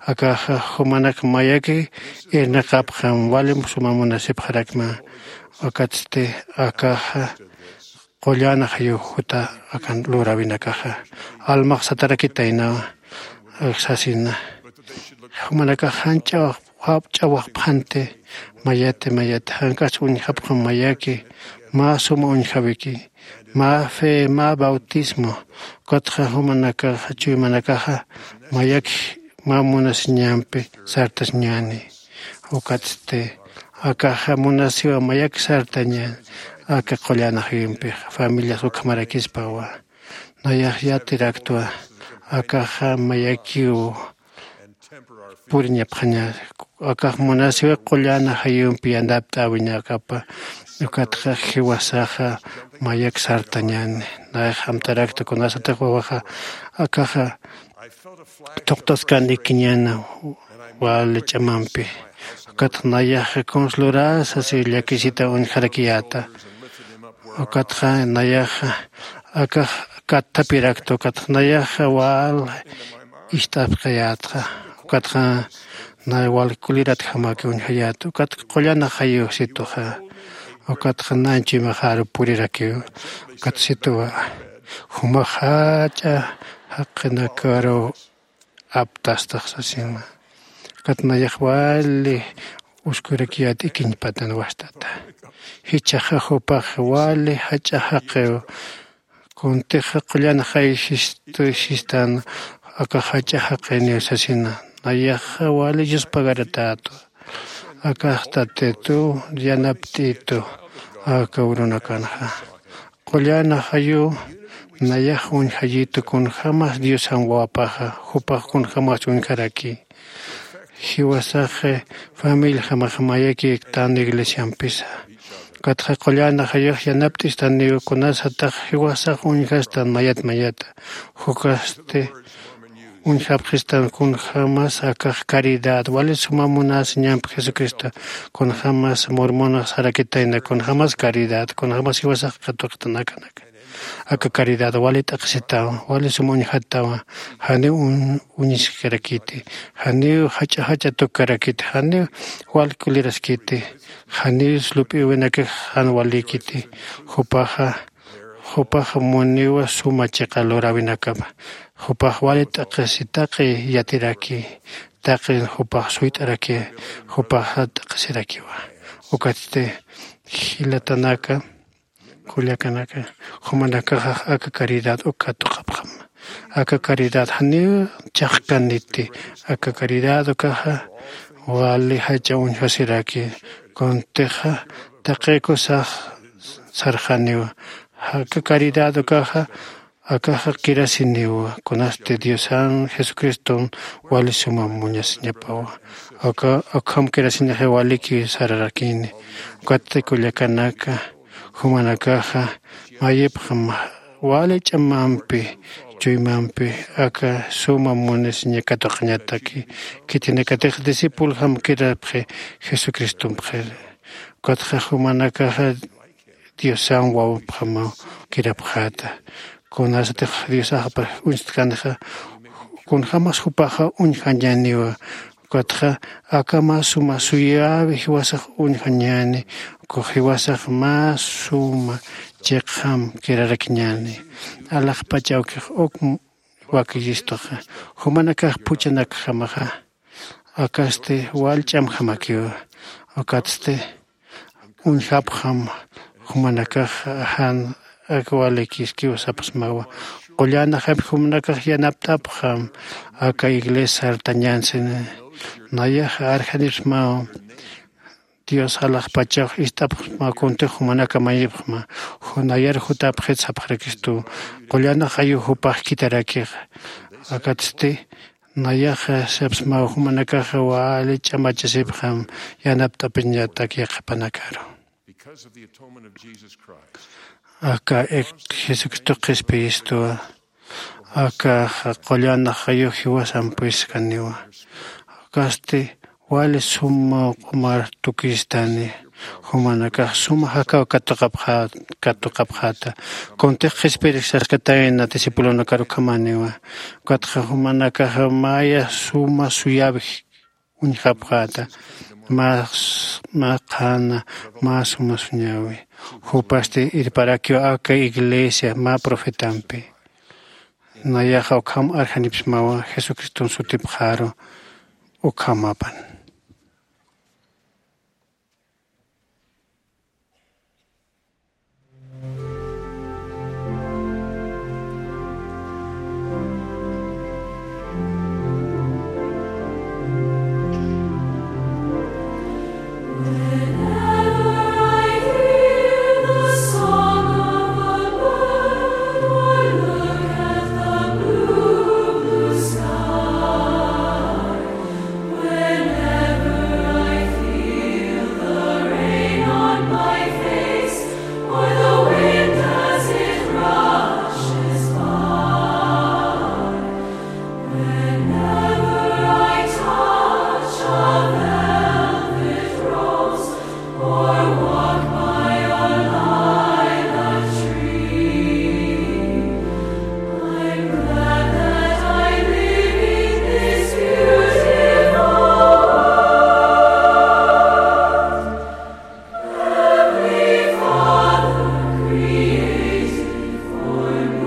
Akaxa jumanak mayaki irnaqapxam wali suma munasipxarakma. Ukatsti akaxa qullan ajayu juta akan luräwinakaxa almax satarakitaynawa sasina. Jumanakax jan ch'awaqpxanti mayati mayati jankas uñjapxam mayaki mä suma uñjawiki, mä fe, mä bautismo. Ukatxa jumanakaxa, chuymanakaxa mayakji mä munasiñampi sartasiñäni. Ukatsti akaxa munasiwa mayak sartañäni. Aka qullan ajayumpixa familias ukhamarakispawa. Nayax yatiraktwa akaxa mayakiw puriñapxaña. Akax munasiwa qullan ajayumpi yanapt'äwiñakapa. Ukatxa jiwasaxa mayak sartañäni. Nayax amtarakta kunasatix wawaxa akaxa thuqtaskan ikiñäna wali ch'amampi. Ukatxa nayaxa kunsa lurasa si llakisita uñjarakiyäta. Ukatxa nayaxa akax katthapirakta ukatxa nayaxa wal ist'apxayätxa. Ukatxa nay wal kuliratjamaki uñjayäta ukatxa qullan ajayu situxa. Ukatxa nañ chuymaxaru purirakiw. Ukat situwa jumax jach'a jaqinakaru aptastax sasima. Ukat nayax wali uskurakiyät ikiñpatan wastata. Jichhaxa jupax wali jach'a jaqiw. Kuntixa qullan jayjistan aka jach'a jaqiniw sasina. Nayaxa wali yuspagaratätwa. Akax tatitu yanapt'itu aka urunakanxa. Qullan ajayu nayax uñjayitu kunjämas diosan wawapaxa jupax kunjämas uñjaraki. Jiwasax familiajamax mayakïktan iglesiampisa. Ukatxa qullan ajayux yanapt'istaniw kunasatax jiwasax uñjastan mayat mayata. Jukasti uñjapxistan kunjämas akax caridad wali suma munasiñampi jesucristo. Kunjämas mormonax sarakitayna kunjämas caridad kunjämas jiwasax katuqtan akanaka. Aka caridad wali t'aqhisitawa wali suma uñjatawa. Janiw uñiskarakiti. Janiw jach'a jach'a tukarakiti janiw wal kuliraskiti. Janiw slup'iwinakix jan walikiti. Jupaxa jupaxa muniwa suma chiqa luräwinakapa. Jupax wali t'aqhisi taqi yatiraki. Taqi jupax suyt'araki. Jupaxa t'aqhisirakiwa. Ukatsti jilatanaka kullakanaka jumanakaxax aka caridad uk katuqapxam. Aka caridad janiw chhaqkaniti. Aka caridad ukaxa wali jach'a uñjasiraki. Kuntixa taqikusax sarxaniwa. Aka caridad ukaxa akaxa kirasiniwa kunasti diosan jesucriston wali suma muñasiñapawa. Aka akham kirasinaxi waliki sararakini. Ukatsti kullakanaka jumanakaxa mayipxam wali ch'amampi chuymampi aka suma munasiña katuqañataki. Khitinakatix discipuljam kirapxi jesucristompxir. Ukatxa jumanakaxa diosan wawapxamaw kirapxäta. Kunasatix diosaxpa uñstkanxa kunjämas jupaxa uñjañäniwa. Ukatxa aka mä suma suyäwi jiwasax uñjañäni. Ukax jiwasax mä suma chiqjam kirarakiñäni. Alaxpach awkix uk wakiyistuxa jumanakax phuchhanakjamaxa akasti wal ch'amjamakiwa. Ukatsti uñjapxam jumanakax jan ak walikiskiw sapxsmawa. Qullan ajayumpi jumanakax yanapt'apxam aka iglesia sartañänsini. Nayax arjanipxsmaw dios alaxpachax ist'apxsmaw kuntix jumanaka mayipxma. Nayar jutapxit sapxarakistu. Qullan ajayu jupax khitarakixa. Akatsti nayaxa sapxsmaw jumanakaxa wali ch'amachasipxam yanapt'apiñatak yaqhipanakaru. Aka jesucristo qhispiyistwa akaxa qullan ajayu jiwasampiskaniwa. Akasti wali suma q'umar tukistani. Jumanakax suma jakaw katuqapxäta kuntix qhispirix saskatayna discipulonakar ukhamaniwa. Ukatxa jumanakaxa maya suma suyawij uñjapxäta. Mä qhana mä suma suñäwi. Jupasti irparakiw aka iglesia mä profetampi. Nayaxa ukham arjanipxsmawa jesucriston sutipxaru. Ukhamapan. Whenever I touch a velvet rose or walk by a lilac tree, I'm glad that I live in this beautiful world. Heavenly Father, created for me.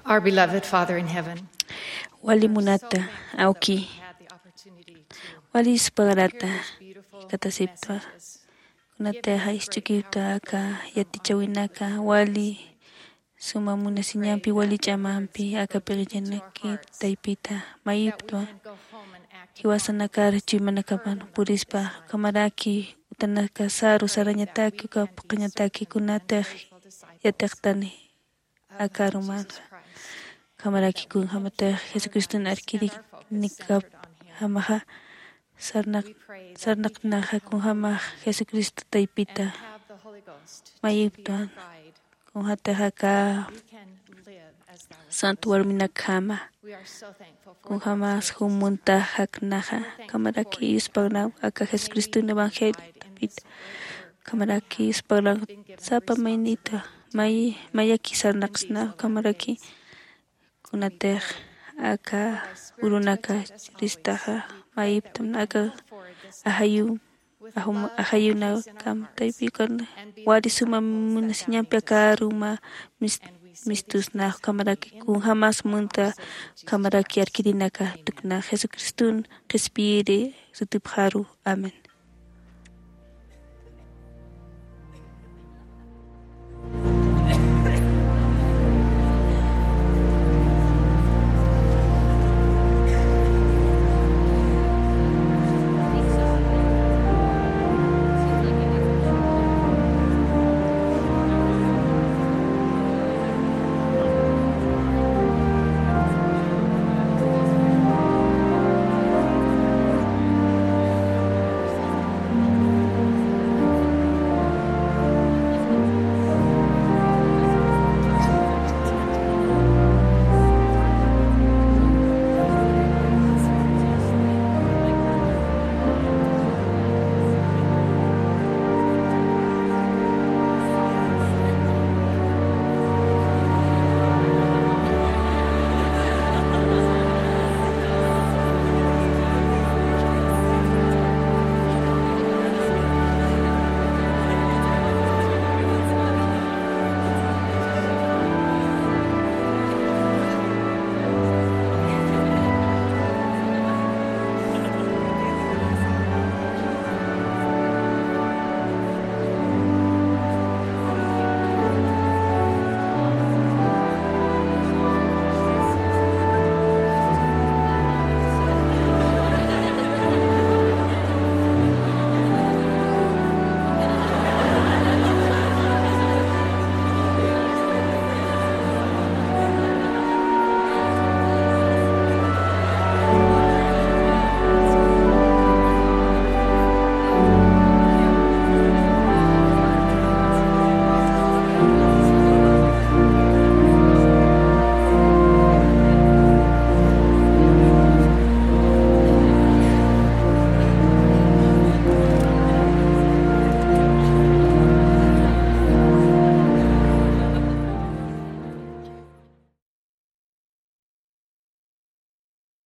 Our beloved Father in heaven, wali munata awki, wali yuspagarata katasiptwa. Kunatixa isch'ukiwta aka yatichäwinaka, wali suma munasiñampi, wali ch'amampi aka p'iqillanaki taypita mayiptwa. Jiwasanakar chuymanakapan purispa, ukhamaraki utanakasaru sarañataki, uka phuqhañataki kunatix yatiqtani aka arumanxa. Ukhamaraki kunjämatix Jesucriston arkirinakapjamaxa sarnaq-, sarnaqnaxa kunjämax Jesucristo taypita mayiptwan. Kunjätix aka santo warminakjama kunjämas jum munta jaknaxa, ukhamaraki yuspagnap aka Jesucriston evangelio taypita. Ukhamaraki yuspagnap sapa maynita may-, mayaki sarnaqsna, ukhamaraki kunatix aka urunaka churistaxa mayiptam aka ajayu, ajum-, ajayunakam taypikan wali suma munasiñampi aka aruma mis-, mistusna, ukhamaraki kunjämas munta, ukhamaraki arkirinaka tukna Jesucriston qhispiyiri sutipxaru. Amén.